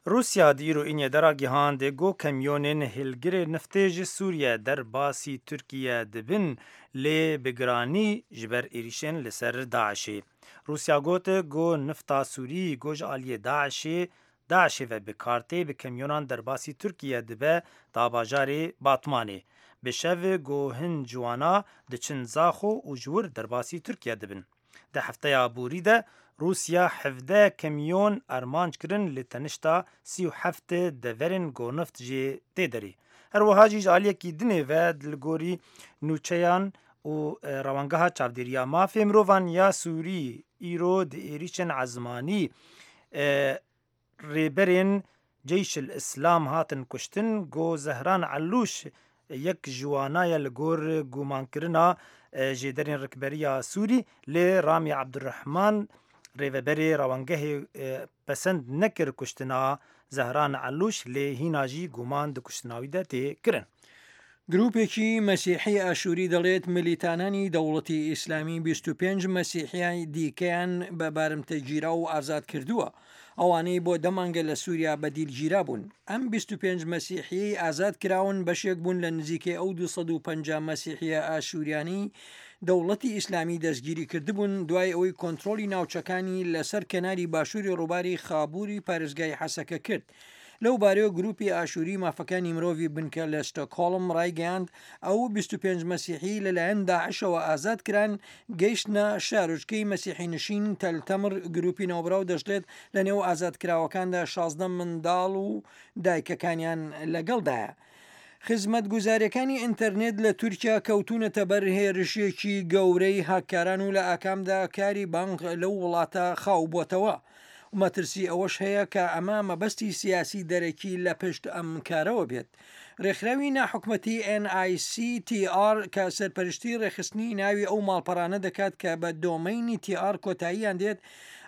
Rûsya di îro înê de ragihand ku kamyonên hilgirê niftê ji Sûriye derbasî Tirkiye dibin lê bi giranî ji ber êrîşên li ser DAIŞ'ê. Rûsya got ku nifta Sûrî ku ji aliyê DAIŞ'ê DAIŞ'ê ve bi kar tê bi kamyonan derbasî Tirkiye dibe ta bajarê Batmanê. Bi şev ku hin ciwana diçin Zaxo û ji wir derbasî Tirkiye dibin. Di hefteya borî de Rûsya 17 kamyon armanc kirin li tenişta 37 deverên ku nift jê tê derê. Her wiha jî ji aliyekî dinê ve li gorî nûçeyan û rewangeha çavdêriya mafê mirovan ya Sûrî îro di êrîşên ezmanî rêberên Ceyşil Îslam hatin kuştin ku Zehran Elûş yek ji wana ye li gor gumankirina jêderên rikberiya Sûrî lê Ramî Ebdurehman rêveberê rewangehê pesend nekir kuştina Zehran Elûş lê hîna jî guman di kuştina wî de tê kirin. گروپێکی مەسیحی ئاشووری دەڵێت ملیتانانی دەوڵەتی ئیسلامی 25 مەسیحیای دیکەیان بە بارمتە گیراو و ئازاد کردووە، ئەوانەی بۆ دە مانگە لە سووریا بە دیل گیرابوون. ئەم 25 مەسیحییەی ئازاد کراون بەشێک بوون لە نزیکەی ئەو 250 مەسیحییە ئاشووریانەی دەوڵەتی ئیسلامی دەستگیری کردبوون دوای ئەوەی کۆنترۆڵی ناوچەکانی لەسەر کەناری باشووری ڕووباری خابووری پارێزگای حەسەکە کرد. لەو بارەیەوە گروپی ئاشووری مافەکانی مرۆڤی بنکە لە ستۆکهۆڵم ڕایگەیاند، ئەو 25 مەسیحی لەلایەن داعشەوە ئازاد کران، گەیشتنە شارۆچکەی مەسیحینشین تەل تەمر، گروپی ناوبراو دەشڵێت، لەنێو ئازادکراوەکاندا 16 منداڵ و دایکەکانیان لەگەڵدایە. خزمەتگوزارییەکانی ئینتەرنێت لە تورکیا کەوتوونەتە بەر هێرشێکی گەورەی هاککاران و لە ئاکامدا کاری بانق لەو وڵاتە خاو بۆتەوە. مەترسی ئەوەش هەیە کە ئەمە مەبەستی سیاسی دەرەکی لە پشت ئەم کارەوە بێت. رێکخراوی ناحکومەتی NICTR کە سەرپەرشتی رێکخستنی ناوی ئەو ماڵپەڕانە دەکات کە بە دۆمەینی TR کۆتاییان دێت،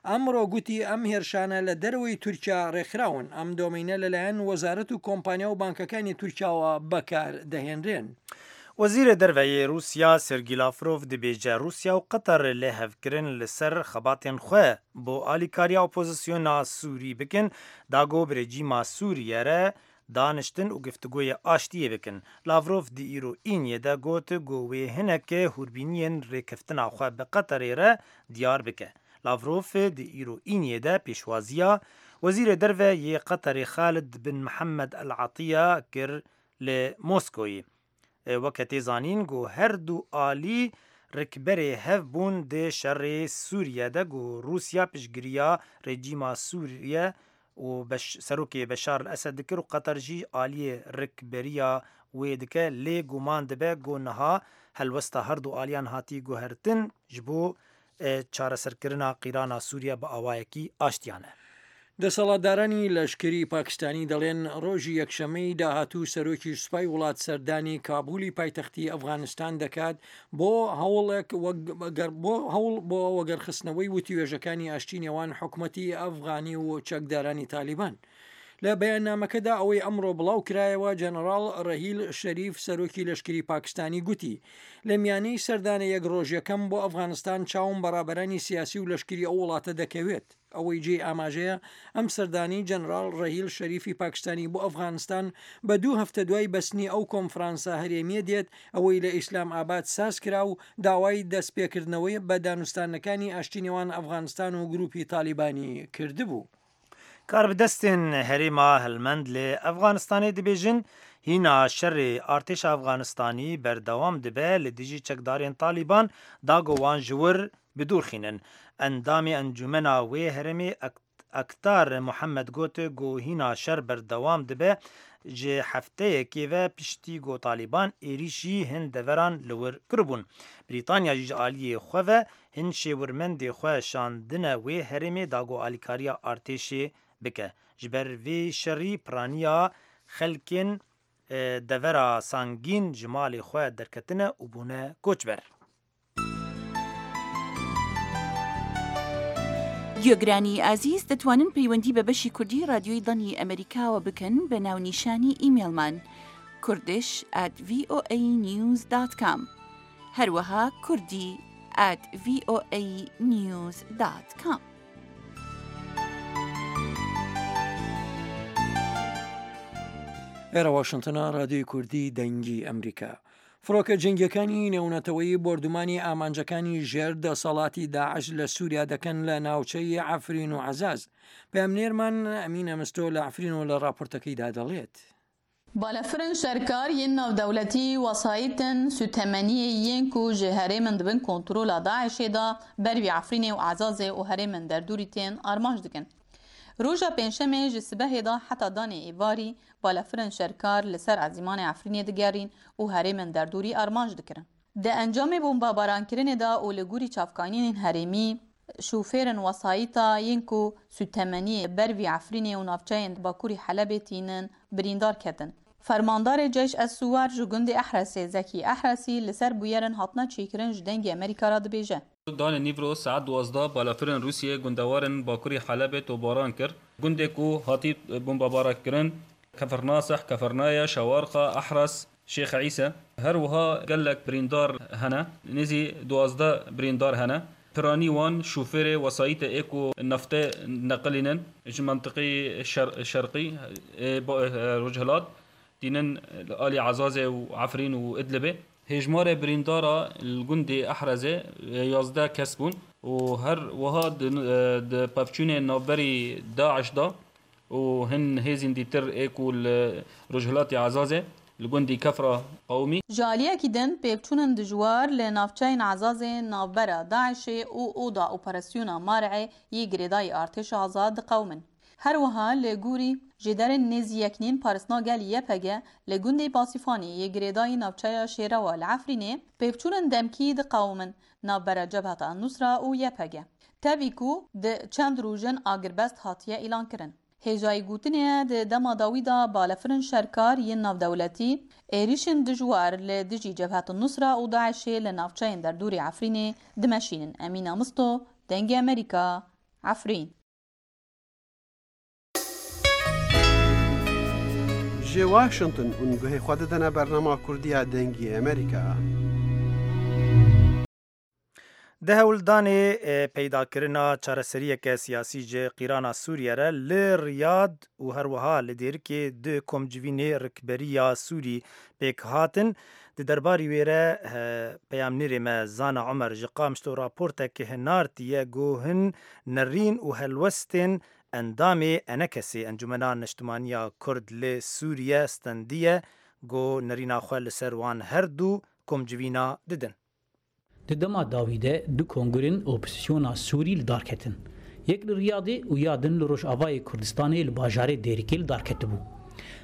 ئەمڕۆ گوتی ئەم هێرشانە لە دەرەوەی تورکیا ڕێکخراون، ئەم دۆمەینە لەلایەن وەزارەت و کۆمپانیا و بانکەکانی تورکیاوە بەکاردەهێنرێن. وەزیرê Derve yê Rûsya Sergî Lavrov dibêje Rûsya û Qeter li hevkirin li ser xebatên xwe bo alîkariya opozisyona Sûrî bikin da ku bi rejîma Sûriye re daniştin û giftigoyê aştiyê bikin. Lavrov di îro îniyê de got ku wê hinek hûrbîniyên rêkeftina xwe bi Qeterê re diyar bike. Lavrov di îro îniyê de pêşwaziya Wezîrê Derve yê Qeterê Xalid bin Mihemed El Atiya kir li Moskoyê. Weke tê zanîn ku her du alî rikberê hev bûn di şerê Sûriye de ku Rûsya piştgiriya rejîma Sûriye û serokê Beşar el Esed dikir û Qeter jî aliyê rikberiya wê dike lê guman dibe ku niha helwesta her du aliyan hatî guhertin ji bo çareserkirina qîrana Sûriye bi awayekî aştiyane. دەسەڵاتدارانی لەشکری پاکستانی دەڵێن ڕۆژی یەکشەممەی داهاتوو سەرۆکی سوپای وڵات سەردانی کابولی پایتەختی ئەفغانستان دەکات بۆ هەوڵێک بۆ هەوڵ بۆ وەگەرخستنەوەی وتوێژەکانی ئاشتی نێوان حکومەتی ئەفغانی و چەکدارانی تالیبان. لە بەیاننامەکەدا ئەوەی ئەمڕۆ بڵاو کرایەوە جەنەڕاڵ ڕەهیل شەریف سەرۆکی لەشکری پاکستانی گوتی لە میانەی سەردانە یەک ڕۆژیەکەم بۆ ئەفغانستان چاوم بە ڕابەرانی سیاسی و لەشکری ئەو وڵاتە دەکەوێت. ئەوەی جێی ئاماژەیە ئەم سەردانەی جەنراڵ ڕەهیل شەریفی پاکستانی بۆ ئەفغانستان بە دوو هەفتە دوای بەستنی ئەو کۆنفرانسە هەرێمییە دێت ئەوەی لە ئیسلام ئاباد ساز کرا و داوای دەستپێکردنەوەی بە دانوستاندنەکانی ئاشتی نێوان ئەفغانستان و گروپی تالیبانی کردبوو. Karbidestên herêma Helmend li Efxanistanê dibêjin hîna şerê artêşa Efxanistanî berdewam dibe li dijî çekdarên Talîban da ku wan ji wir bi dûr xînin. Endamê encûmena wê herêmê Aktar Muhammed got ku hîna şer berdewam dibe ji hefteyekê ve piştî ku Talîban êrîşî hin deveran li wir kiribûn. Brîtanya jî ji aliyê xwe ve hin şêwirmendê xwe şandine wê herêmê da ku alîkariya artêşê bike. Ji ber vê şerî piraniya xelkên devera Sangîn ji malê xwe derketine û bûne koçber. گوێگرانی ئازیز دەتوانن پەیوەندی بە بەشی کوردی ڕادیۆی دەنگی ئەمەریکاوە بکەن بە ناونیشانی ئیمێڵمان Kurdish at VOA News dot com هەروەها کوردی at VOA News dot com. ئێرە واشنتنە، ڕادیۆی کوردی دەنگی ئەمریکا. فڕۆکە جەنگیەکانی نێونەتەوەیی بۆردومانی ئامانجەکانی ژێر دەسەڵاتی داعش لە سووریا دەکەن لە ناوچەی عەفرین و عەزاز. پەیامنێرمان ئەمینە مستۆ لە عەفرین و لە ڕاپۆرتەکەیدا دەڵێت. Balafirên şerkar yên navdewletî wesayîtên sûtemeniyê yên ku ji herêmên di bin kontrola DAIŞ'ê de bervî Efrînê û Ezazê û herêmên derdorî tên armanc dikin. Roja pêncşemê ji sibehê de heta danê êvarî balafirên şerkar li ser ezîmanê Efrînê digerîn û herêmên derdorî armanc dikirin. Di encamê bombebarankirinê de û li gorî çavkaniyên herêmî, şofêrên wesayîta yên ku sûtemeniyê bervî Efrînê û navçeyên bakurî Helebê tînin birîndar ketin. Fermandarê Ceyş Es Suwar ji gundê Ehresê Zekî Ehresî li ser bûyerên hatine çêkirin ji Dengê Amerîka re dibêje. Danê nîvro saet 12 balafirên Rûsyê gundewarên bakurî Helebê topbaran kir. Gundê ku hatî bombebarankirin Kefernasih, Kefernaya, Şewarqa, Ehres, Şêx Îse. Her wiha gelek birîndar hene, nêzî 12 birîndar hene. Piranî wan şofêrê wesayîtê ê ku neftê neqilînin ji mentiqeyê şerqî ê rojhilat tînin li alî Ezazê û Efrîn û Idlibê. Hêjmarê birîndara li gundê Ehrezê 11 kes bûn û her wiha di pevçûnên navberî DAIŞ de û hin hêzên dîtir ê ku li rojhilatê Ezazê li gundî Kefra qewimî. Ji aliyekî din pêvçûnên dijwar li navçeyên Ezazê navbera DAIŞ'ê û Oda Operasyona Mar'ê yê girêdayî Artêşa Azad diqewimin. Her wiha li gorî jêderên nêzî yeknîn parisna gel YPG li gundê Basîfanê yê girêdayî navçeya Şêrewa li Efrînê pêvçûnên demkî diqewimin navbera Cebheta El-Nusra û YPG. Tevî ku di çend rojin agirbest hatiye îlankirin. Hêjayî gotinê ye di dema dawî de balafirên şerkar yên navdewletî êrîşên dijwar li dijî Cebhet El-Nusra û DAIŞ'ê li navçeyên derdorê Efrînê dimeşînin. Emîna Misto, Dengê Amerîka, Efrîn. Ji Washington hûn guhê xwe didine bernama Kurdî ya Dengê Amerîka. Di hewldanê peydakirina çareseriyeke siyasî ji qîrana Sûriye re li Riyad û herwiha li Dêrikê du komcivînê rikberiya Sûrî pêk hatin. Di derbarî wê re peyamnêrê me Zana Omer ji Qamişlo raportek hinartiye ku hin nerîn û helwestên endamê ENKSê, Encûmena Niştimaniya Kurd li Sûriye stendiye ku nerîna xwe li ser wan her du komcivîna didin. Di dema dawî de du kongirên opozîsyona Sûrî li dar ketin. Yek li Riyadê û ya din li Rojavayê Kurdistanê li bajarê Dêrikê li dar ketibû.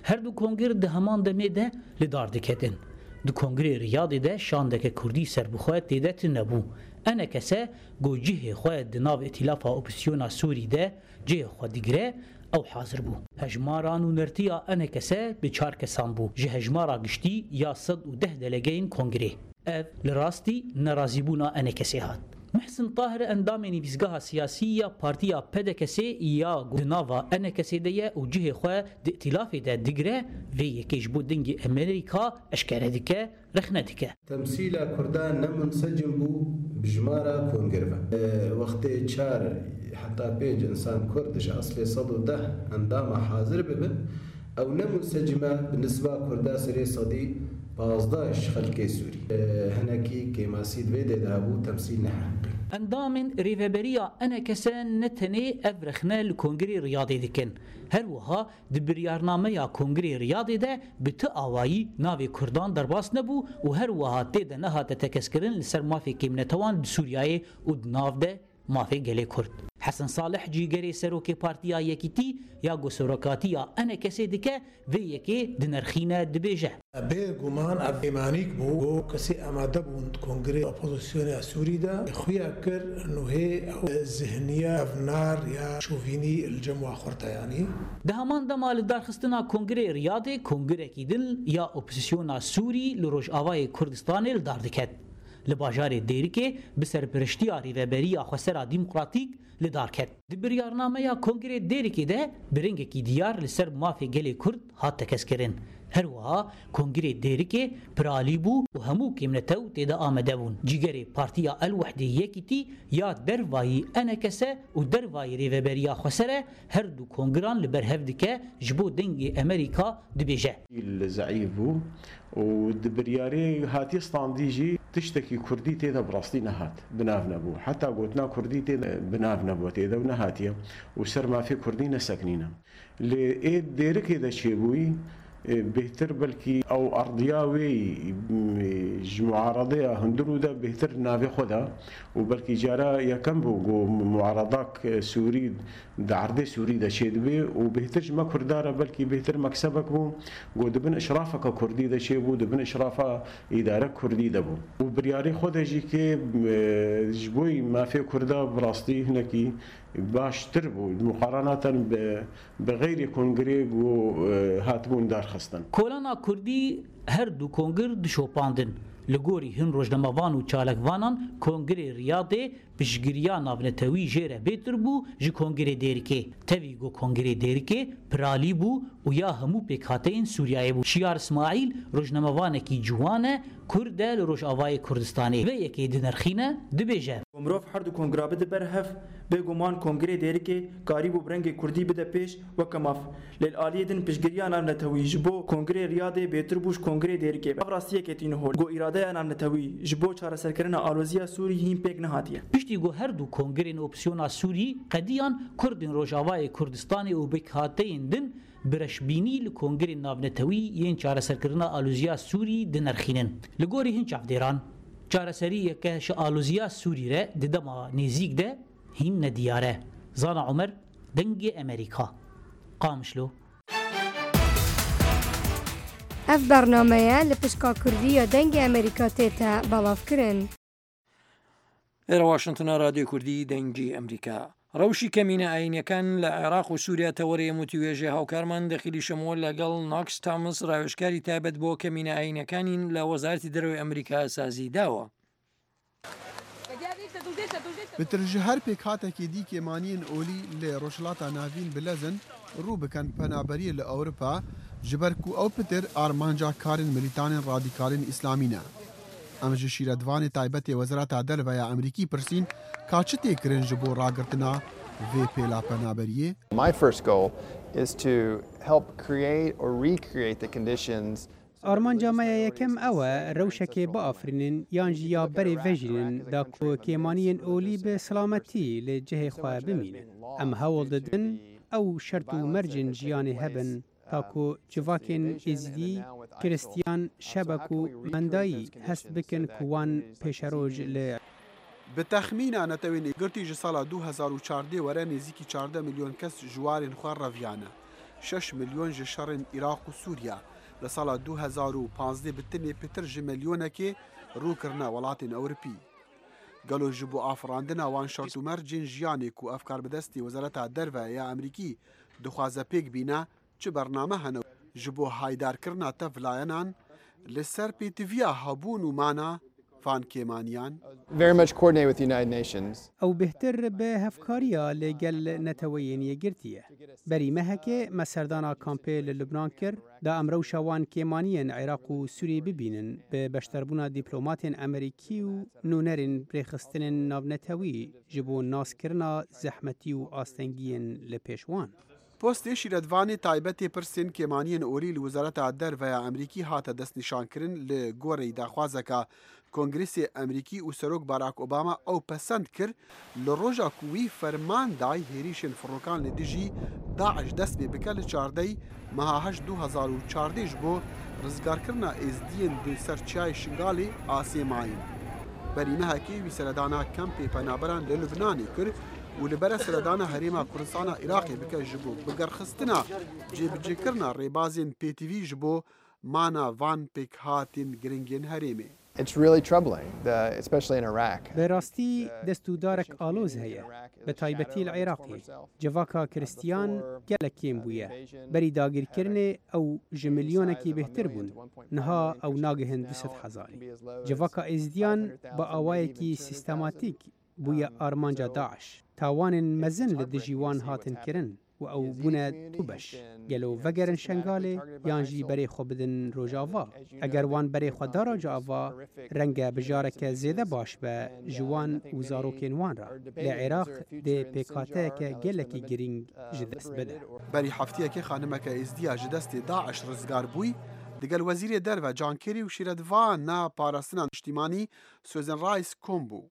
Her du kongir di heman demê de li dar diketin. Di kongirê Riyadê de şandeke Kurdî serbixwe tê de tune bû. ENKS ku cihê xwe di nav Îtîlafa Opozîsyona Sûrî de cihê xwe digire, ew hazir bû. Hejmara nûnertiya ENKS bi çar kesan bû ji hejmara giştî ya 110 delegeyên kongirê. Ev li rastî nerazîbûna ENKS'ê hat. Muhsin Tahir endamê nivîsgeha siyasî ya Partiya PDKS'ê ya ku di nava ENKS'ê de ye û cihê xwe di îtîlafê de digire, vê yekê ji bo Dengê Amerîka eşkere dike, rexne dike. Temsîla Kurdan ne munsecim bû bi jimara kongir ve. Wextê çar heta pênc însan Kurd ji eslê 110 endama hazir bibin, ew ne munsecim e bi nisba Kurda serê sedî 15 ji xelkê Sûrî. Hinekî kêmasî di vê dê de hebû temsîl neheqî. Endamên Rêveberiya ENKS ne tenê ev rexne li Kongirê Riyadê dikin. Her wiha di biryarnameya Kongirê Riyadê de bi ti awayî navê Kurdan derbas nebû û her wiha tê de nehate tekezkirin li ser mafê kêmnetewan di Sûriyeyê û di nav de mafê gelê Kurd. Hesen Salih cîgerê Serokê Partiya Yekîtî ya ku Serokatiya ENKS'ê dike vê yekê dinirxîne dibêje. Bê guman ev kêmanîk bû ku kesê amade bûn di Kongreyê Opozisyona Sûrî de xuya kir nuhê ew zihniya evnar ya şovînî li cem wa xurt e yanî. Di heman dema lidarxistina Kongreyê Riyadê kongirekî din ya Opozisyona Sûrî li Rojavayê Kurdistanê li dar diket. Li bajarê Dêrikê bi serpiriştiya Rêveberiya Xweser a Demokratîk li dar ket. Di biryarnameya Kongreyê Dêrikê de bi rengekî diyar li ser mafê gelê Kurd hat tekezkirin. Her wiha Kongirê Dêrikê piralî bû û hemû kêmnetew tê de amade bûn. Cîgerê Partiya El Wehdê Yekîtî ya dervayî ENKS û dervayî Rêveberiya Xweser e, her du kongiran li ber hev dike ji bo Dengê Emerîka dibêje. Zeîf bû û di biryarê hatiye standî jî tiştekî kurdî tê de bi rastî nehat, bi nav nebû. Heta gotina kurdî tê de bi nav nebû tê de û nehatiye û ser mafê kurdî nesekinîne. Lê ê Dêrikê de çêbûyî bêhtir belkî ew erdiya wê ji muaradeya hundirû de bêhtir navê xwe da û belkî cara yekem bû ku muaradak Sûrî di erdê Sûrî de çêdibe û bêhtir ji me Kurda re belkî bêhtir meksebek bû ku di bin îşrafeke Kurdî de çêbû, di bin îşrafa îdarek Kurdî de bû û biryarê xwe de jî kê ji bo mafê Kurda bi rastî hinekî Baştir bû muqaranatan bi bi xeyrê kongirê ku hatibûn darxistin. Kolana Kurdî her du kongir dişopandin. Li gorî hin rojnamevan û çalakvanan kongirê Riyadê piştgiriya navnetewî jê re bêtir bû ji kongirê Dêrikê. Tevî ku kongirê Dêrikê piralî bû û ya hemû pêkhateyên Sûriyeyê bû. Şiyar Îsmaîl rojnamevanekî ciwan e, Kurd e li Rojavayê Kurdistanê. Vê yekê dinirxîne, dibêje. Ku mirov her du kongira bide ber hev, bêguman Kongirê Dêrikê karîbû bi rengê kurdî bide pêş weke maf. Lê li aliyê din piştgiriya navnetewî ji bo Kongirê Riyadê bêtir bû ji Kongirê Dêrikê ve. Ev rastiyekê tîne hol ku îradeya navnetewî ji bo çareserkirina aloziya Sûrî hîn pêk nehatiye. Piştî ku her du kongirên opsiyona Sûrî qediyan, Kurdên Rojavayê Kurdistanê û pêkhateyên din bi reşbînî li kongirên navnetewî yên çareserkirina aloziya Sûrî dinirxînin. Li gorî hin çavdêran, çareseriyeke ji aloziya Sûrî re di dema nêzîk de hîn nediyar e. Zana Omer, Dengê Amerîka, Qamişlo. Ev bernameye li pişka Kurdî ya Dengê Amerîka tête belavkirin. Êra Washingtona Radyoy Kurdî Dengî ئەمریکا. ڕەوشی کەمینە ئایینیەکان لە عێراق و سووریا تەوەرەی ئەم وتووێژەی هاوکارمان دەخیلی شەمۆ لەگەڵ ناکس تامس ڕاوێژکاری تایبەت بۆ کەمینە ئایینەکانین لە وەزارەتی دەرەوەی ئەمریکا سازی داوە. Pitir ji her pêkhatekê dî kêmaniyên olî li Rojhilata Navîn bi lez in rû bikin penaberiyê li Ewropa ji ber ku ew pitir armanca karên milîtanên radîkalên îslamî ne. Em ji şîretvanê taybet ê Wezareta Derve ya Amerîkî pirsîn ka çi tê kirin ji bo ragirtina vê pêla penaberiyê. My first goal is to help create or recreate the conditions Armanca me ya yekem ew e rewşekê biafirînin yan jî ya berê vejînin da ku kêmaniyên olî bi silametî li cihê xwe bimînin. Em hewl didin ew şert û mercên jiyanê hebin ta ku civakên Êzidî, Kiristiyan, Şebek û Mendayî hest bikin ku wan pêşeroj li Bi texmîna Netewên Yekgirtî ji sala 2014 were nêzîkî 14 milyon kes ji warên xwe reviyane. Şeş milyon ji şerên Iraq û Sûriya. Li sala 2015 bi tenê pitir ji milyonekê rû kirine welatên Ewropî. Gelo ji bo afirandina wan şert û mercên jiyanê ku ev karbidestê Wezareta Derve ya Amerîkî dixwaze pêk bîne, çi bername hene ji bo haydarkirina tev layenan li ser pêtiviya hebûn û mana van kêmaniyan? Very much coordinated with the United Nations. Ew bêhtir bi hevkariya li gel Neteweyên Yekgirtî ye. Berî mehekê me serdana kampê li Lubnan kir da em rewşa wan kêmaniyên Iraq û Sûriyê bibînin bi beşdarbûna dîplomatên Amerîkî û nûnerên rêxistinên navnetewî ji bo naskirina zehmetî û astengiyên li pêş wan. Postê şîretvanê taybetê pirsên kêmaniyên olî li Wezareta Derve ya Amerîkî hate destnîşankirin li gorî daxwazeka Kongresê Amerîkî û Serok Barack Obama ew pesend kir li roja ku wî ferman day hêrîşên firokan li dijî DAIŞ dest pê bike li çardey meha heşt 2014 ji bo rizgarkirina Êzdiyên di ser çiyayê Şingalê asê mayîn. Berî mehekê wî seredana kempê penaberan li Lubnanê kir û li bere seredana Herêma Kurdistana Iraqê bike ji bo bigerxistina cêbicêkirina rêbazên pêtivî ji bo mana van pêkhatên giringên herêmê. It's really troubling, the, especially in Iraq. Bi rastî dest û darek aloz heye, bi taybetî li Iraqê. Civaka Kiristiyan gelek kêm bûye. Berî dagirkirinê ew ji milyonekî bêhtir bûn, niha ew nagihin 200 hezarî. Civaka Êzidiyan bi awayekî sîstematîk bûye armanca DAIŞ. Tawanên mezin li dijî wan hatin kirin. û ew bûne du beş. Gelo vegerin Şengalê yan jî berê xwe bidin Rojava? Eger wan berê xwe da Rojava, renge bijareke zêde baş be ji wan û zarokên wan re. Lê Iraq dê pêkhateyeke gelekî girîng ji dest bide. Berî hefteyekê xanimeke Êzdiya ji destê daiş rizgar bûy, digel Wezîrê Derve John Kerry û şîretvana Parastina Niştîmanî Susan Rice kom bû.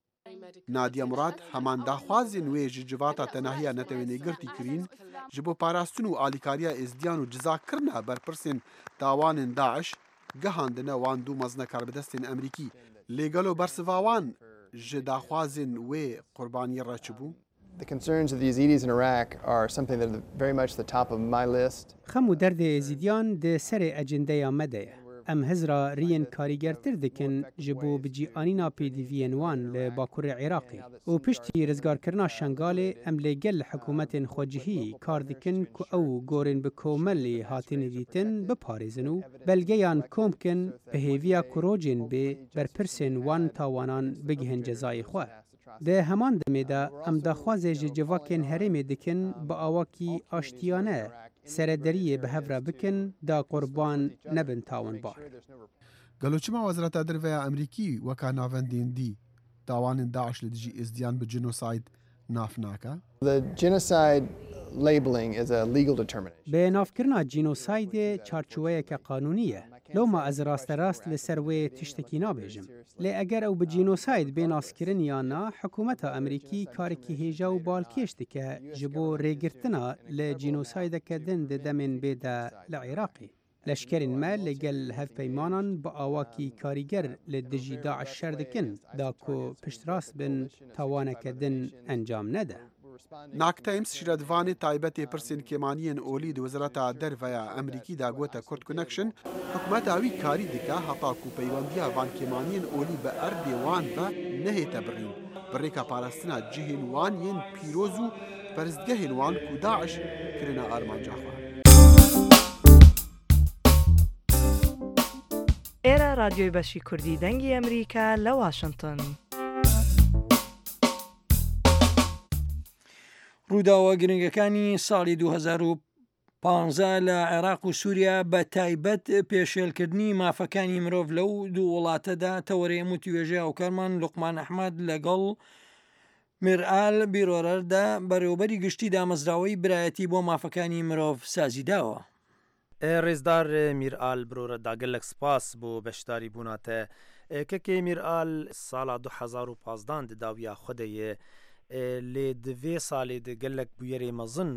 Nadiya Murad heman daxwazên wê ji Civata Tenahiya Netewên Yekgirtî kirîn ji bo parastin û alîkariya Êzdiyan û cizakirina berpirsên tawanên daiş gihandine wan du mezine karbidestên Amerîkî. Lê gelo bersiva wan ji daxwazên wê qurbaniyê re çi bû? The concerns of the Yazidis in Iraq are something that are very much the top of my list. Xem û derdê Êzîdiyan di serê ecendeya me de ye. Em hizra riyên karîgertir dikin ji bo bicîanîna pêdiviyên wan li bakurê Iraqê û piştî rizgarkirina Şengalê em li gel hikûmetên xwecihî kar dikin ku ew gorên bi komelê hatine dîtin biparêzin û belgeyan kom kin bi hêviya ku rojên bê berpirsên wan tawanan bigihin cezayê xwe. Di heman demê de em daxwazê ji civakên herêmê dikin bi awakî aştiyane serederiyê bi hev re bikin da qurban nebin tawanbar. Gelo çima Wezareta Derve ya Amerîkî weka navendên dî tawanên daiş li dijî Êzdiyan bi cinosayd nav nake? The genocide labeling is a legal determination. Bi navkirina cînosaydê çarçoweyeke qanûnî ye. Loma ez rasterast li ser wê tiştekî nabêjim. Lê eger ew bi cînosayd bê naskirin ya na, hikûmeta Amerîkî karekî hêja û balkêş dike ji bo rêgirtina li cînosaydeke din di demên bê de li Iraqê. Leşkerên me li gel hevpeymanan bi awakî karîger li dijî daiş şer dikin da ku piştrast bin tawaneke din encam nede. Nak Times şîretvanê taybet ê pirsên kêmaniyên olî di Wezareta Derve ya Amerîkî de gote Kurd Connection, hikûmeta wî karî dike heta ku peywendiya van kêmaniyên olî bi erdê wan ve nehête birîn, bi rêka parastina cihên wan yên pîroz û perestgehên wan ku daiş kirine armanca xwe. ئێرە ڕادیۆی بەشی کوردی دەنگی ئەمریکا لە واشنتن. ڕووداوە گرنگەکانی ساڵی 2015 لە عێراق و سووریا بە تایبەت پێشێلکردنی مافەکانی مرۆڤ لەو دوو وڵاتەدا تەوەرەی ئەم وتوێژەی هاوکارمان لوقمان ئەحمەد لەگەڵ میرئال بیرۆرەردا بەڕێوەبەری گشتی دامەزراوەی برایەتی بۆ مافەکانی مرۆڤ سازیداوە. ڕێزدار میرئال برۆرەدا گەلەک سپاس بۆ بەشداری بوونا تە. کەکێ میرئال ساڵا 2015 di dawiya xwe de ye lê di vê salê de gelek bûyerê mezin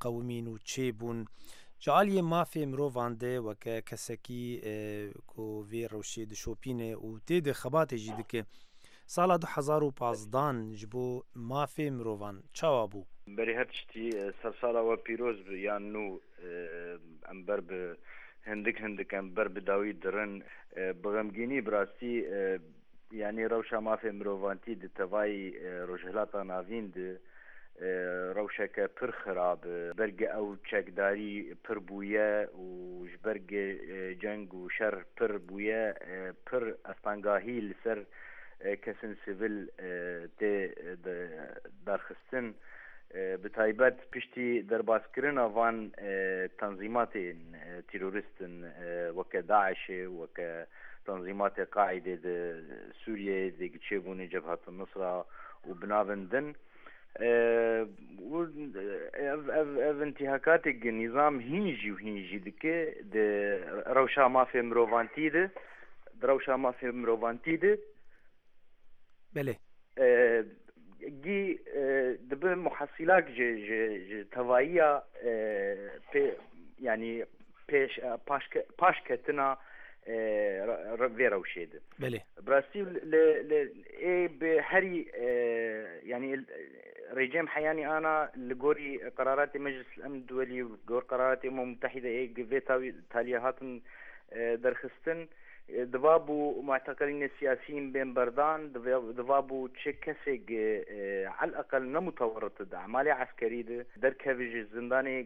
qewimîn û çêbûn. Ji aliyê mafê mirovan de weke kesekî ku vê rewşê dişopîne û tê de xebatê jî dike. Sala 2015 ji bo mafê mirovan çawa bû? Berî her tiştî sersala we pîroz bi yan nû em ber bi hindik hindik em ber bi dawî dirin. Bi xemgînî bi rastî yanî rewşa mafê mirovantî di tevayî Rojhilata Navîn di rewşeke pir xirab e. Ji ber ge ew çekdarî pir bûye û ji ber ge ceng û şer pir bûye pir astangahî li ser kesên sivil tê darxistin. Bi taybet piştî derbaskirina van tenzîmatên terorîst in weke DAIŞ'ê weke tenzîmatê Qaîdê di Sûriyeyê de çêbûne Cebhet Nusra û bi navên din û ev ev ev întîhakatê gi nîzam hîn jî û hîn jî dike di rewşa mafê mirovantî de di rewşa mafê mirovantî de Belê. Gî dibe muhesîlak ji ji ji tevayiya pê yanî pêş paş paş ketina vê rewşê de. Belê. Bi rastî li li ê bi herî yanî rejim heyanî ana li gorî qeraratê Meclis Emn Duwelî û gor qeraratê Umam Mutehîde ê vê tawî taliye hatin derxistin Divabû mu'teqilînê siyasî bên berdan, divabû çi kesêk eleqel ne mutewerrit di emalê eskerî de derkeve ji zindanê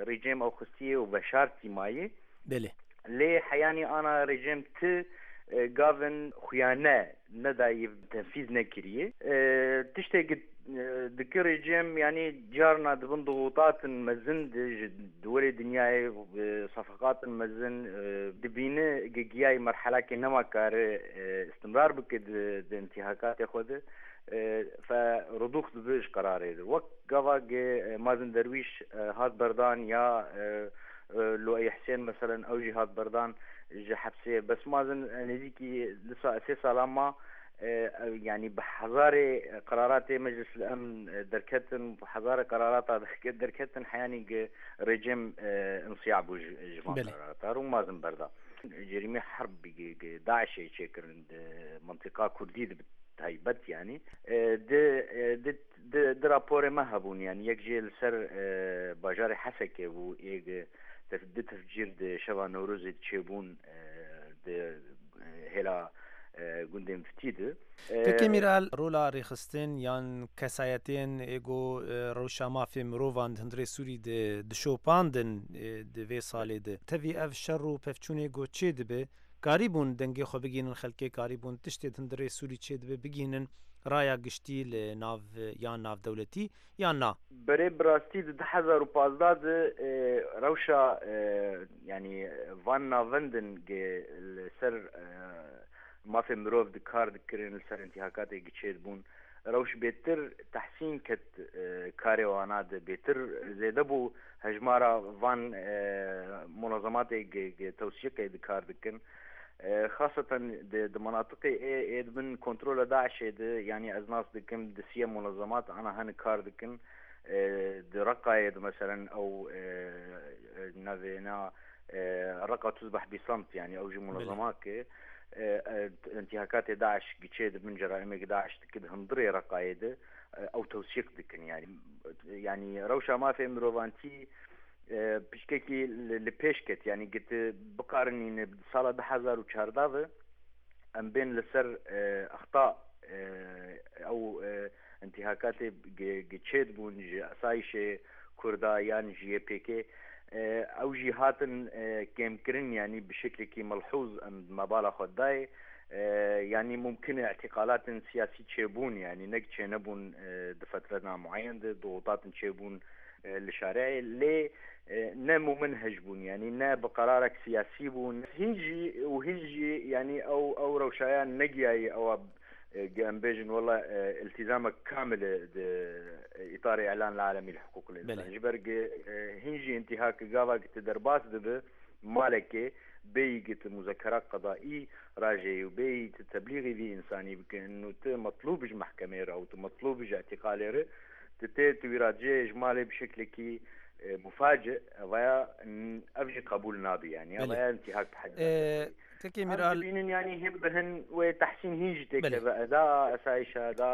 rejim ew xistiyê û veşartî mayê. Belê. Lê heyanî ana rejim ti gavin xuyane nedayî tenfîz nekiriyê. Tiştê. Dike rejim yanî carna dibin ضغوطاتن mezin ji dwelê dinyayê sefaqatin mezin dibîne giyayî merhelakê nema kare istimrar bike di intihakatê xwe de fe rudûx dibe ji qerarê de. Wek gava ge Mazin Derwîş hat berdan ya Luey Hisên meselen ew jî hat berdan ji hepsê bes Mazin nêzîkî disa sê salan ma Yanî bi hezarê qeraratê Meclis el Emn derketin, bi hezarê qerarata derketin heyanî gi rejim insiya bû ji van qerarata û mazin berda. Cerîmê herb gi DAIŞê çêkirin di mentiqa Kurdî de bi taybet yanî di di di raporê me hebûn yanî yek jê li ser bajarê Hesekê bû yê gi di tefcîr di şeva Newrozê de çêbûn di hêla gundên Fitî de. Kekê Mîral, rola rêxistin yan kesayetên ê ku rewşa mafê mirovan di hundirê Sûrî de dişopandin di vê salê de, tevî ev şer û pevçûnê ku çêdibe, karîbûn dengê xwe bigihînin xelkê, karîbûn tiştê di hundirê Sûrî çêdibe bigihînin raya giştî li nav yan navdewletî yan na? Berê bi rastî di 2015 de rewşa yanî van navendin ge li ser mafê mirov di kar dikirin li ser întîhakatê gi çêdibûn rewş bêtir tehsîn ket karê wana de bêtir zêde bû hejmara van munezematê ge tewsîqê di kar dikin. Xaseten di di menatiqê ê ê di bin kontrola DAIŞê de yanî ez nas dikim di siye munezemat ana hene kar dikin di Reqayê de meselen ew navê na Reqa Tuzbeh Bîsamt yanî ew jî munezemak e întîhakatê DAIŞ giçê di bin ceraîmê DAIŞ dike di hundirê Reqayê de ew tewsîq dikin yanî yanî rewşa mafê mirovantî Pişkekî li pêş ket yanî gi tu biqarinîne bi sala 2014 ve em bên li ser exta ew întîhakatê gi çêdibûn ji asayîşê Kurda yan ji YPK ew jî hatin kêmkirin yanî bi şeklekî melhûz em me bala xwe dayê yanî mumkin e îtîqalatên siyasî çêbûn yanî nek çênebûn di fetrena mueyen de dixûtatin çêbûn li şareyê lê ne muminhec bûn yanî ne bi qerarek siyasî bûn hîn jî û hîn jî yanî ew ew rewşaya negiyayî ewa em bêjin wela îltîzamek kamil e di îtarê îlan alemî li hiqûq li însan ji ber gi hîn jî întîhak gava ki tu derbas dibi malekê bêyî gi tu muzekera qedaî rajeyî û bêyî tu teblîxî vî însanî bike û tu metlûb ji mehkemê re û tu metlûb ji îtîqalê re Tu tê tu wî ra cihê ji malê bi şeklekî mufaci evaya ev jî qebûl nabî yanî evaya întîhak bi hed Tekê Mîral dibînin yanî him bi hin wê tehsîn hîn jî têkeve eda esayîşa eda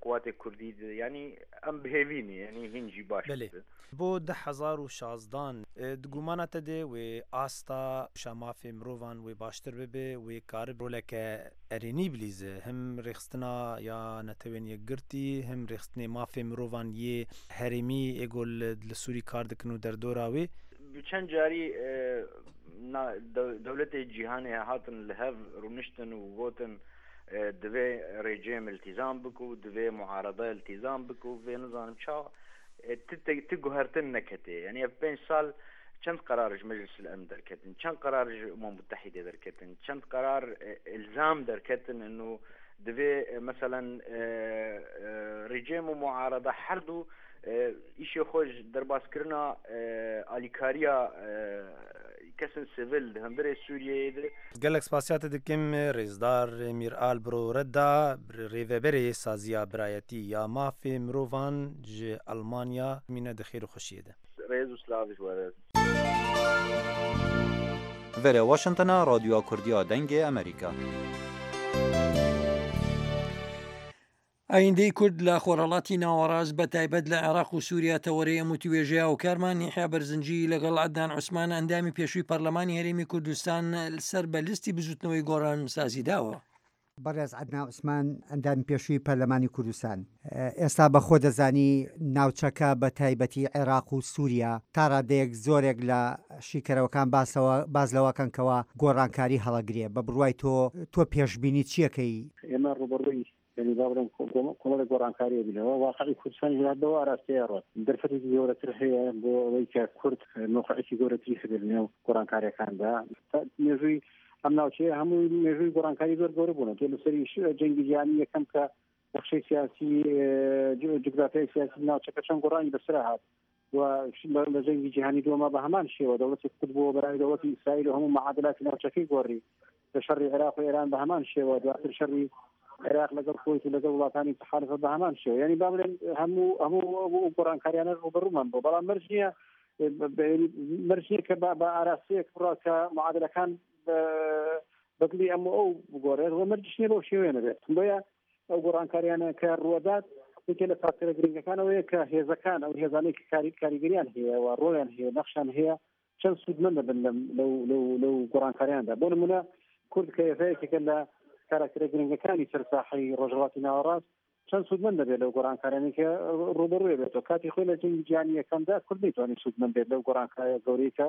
quwatê Kurdî de yanî em bi hêvî nî yanî hîn jî baş Belê. Bo 2016 di gumana te de wê asta rewşa mafê mirovan wê baştir bibe wê karib roleke erênî bilîze him rêxistina ya Netewên Yekgirtî him rêxistinê mafê mirovan yê herêmî ê ku li Sûrî kar dikin û derdora wê. Bi çend carî dewletê cîhanê hatin li hev rûniştin û gotin divê rejim îltîzam bike û divê muarede îltîzam bike û vê nizanim çawa ti guhertin neketê. Yanî ev pênc sal Çend qerar ji Meclis el-Emn derketin, çend qerar ji Umam Mutehîdê derketin, çend qerar îlzam derketin ino divê meselen rejim û muarada her du îşê xwe ji derbaskirina alîkariya kesên sivil di hundirê Sûriyeyê de. Gelek spasiya te dikim Rêzdar Mîral Bro Redda, Rêveberê Saziya Birayetî ya Mafê Mirovan ji Elmanya, mîne di xêr û xweşiyê de. Rêz û silav ji we re. Verê Washingtona Radyoya Kurdî ya Dengê Amerîka. ئایندەی کورد لە خۆرهەڵاتی ناوەڕاست بە تایبەت لە عێراق و سووریا تەوەرەی ئەم وتوێژەیە و کارمان یحیا بەرزنجی لەگەڵ عەدنان عوسمان ئەندامی پێشووی پەرلەمانی هەرێمی کوردستان سەر بە لیستی بزوتنەوەی گۆڕان سازی داوە. بەڕێز عەدنان عوسمان ئەندامی پێشووی پەرلەمانی کوردستان، ئێستا بە خۆ دەزانی ناوچەکە بە تایبەتی عێراق و سووریا تا ڕادەیەک زۆرێک لە شیکەرەوەکان باسەوە باس لەوەکەن کەوا گۆڕانکاری هەڵەگرێ، بە بڕوای تۆ تۆ پێشبینی چیەکەی؟ ئێمە ڕووبەڕووی یعنی با بڵێم کۆمەڵێک گۆڕانکاری بینەوە واقعی کوردستانی هەر بەو ئاراستەیە ڕۆت دەرفەتێکی گەورەتر هەیە بۆ ئەوەی کە کورد مەوقعێکی گەورەتری هەبێت لەنێو گۆڕانکاریەکاندا مێژووی ئەم ناوچەیە هەمووی مێژووی گۆڕانکاری زۆر گەورە بوون تۆ لەسەری جەنگی جیهانی یەکەم کە نەخشەی سیاسی جوگرافیای سیاسی ناوچەکە چەند گۆڕانی بەسەر هات و لە جەنگی جیهانی دووەمە بە هەمان شێوە دەوڵەتی قوت بووە بەرای دەوڵەتی ئیسرائیل و هەموو معادلاتی ناوچەکەی گۆڕی لە شەڕی عێراق و ئێران بە هەمان شێوە دواتر شەڕی عێراق لەگەڵ کوەیت و لەگەڵ وڵاتانی تحالفە بە هەمان شێوە یعنی با بڵێن هەموو هەموو گۆڕانکاریانە ڕووبەڕوومان بوو بەڵام مەرج نییە مەرج نییە کە بە ئاراستەیەک بڕا کە معادلەکان بەدڵی ئەم و ئەو بگۆڕێت و مەرجش نییە بەو شێوەیە نەبێت بۆیە ئەو گۆڕانکاریانە کە ڕووەدات یەکێ لە فاکتەرە گرنگەکان ئەوەیە کە هێزەکان ئەو هێزانەی کە کاری کاریگەریان هەیە و ڕۆیان هەیە نەخشان هەیە چەند سوودمەند دەبن لەم لەو لەو لەو گۆڕانکاریاندا بۆ نمونە کورد کە ئێستا یەکێکە لە کاراکتەرە گرنگەکانی سەر ساحەی ڕۆژهەڵاتی ناوەڕاست چەند سوودمەند دەبێت لەو گۆڕانکاریانەی کە ڕووبەڕووی بێتەوە کاتی خۆی لە جەنگی جیهانی یەکەمدا کورد نەیتوانی سوودمەند بێت لەو گۆڕانکاریە گەورەی کە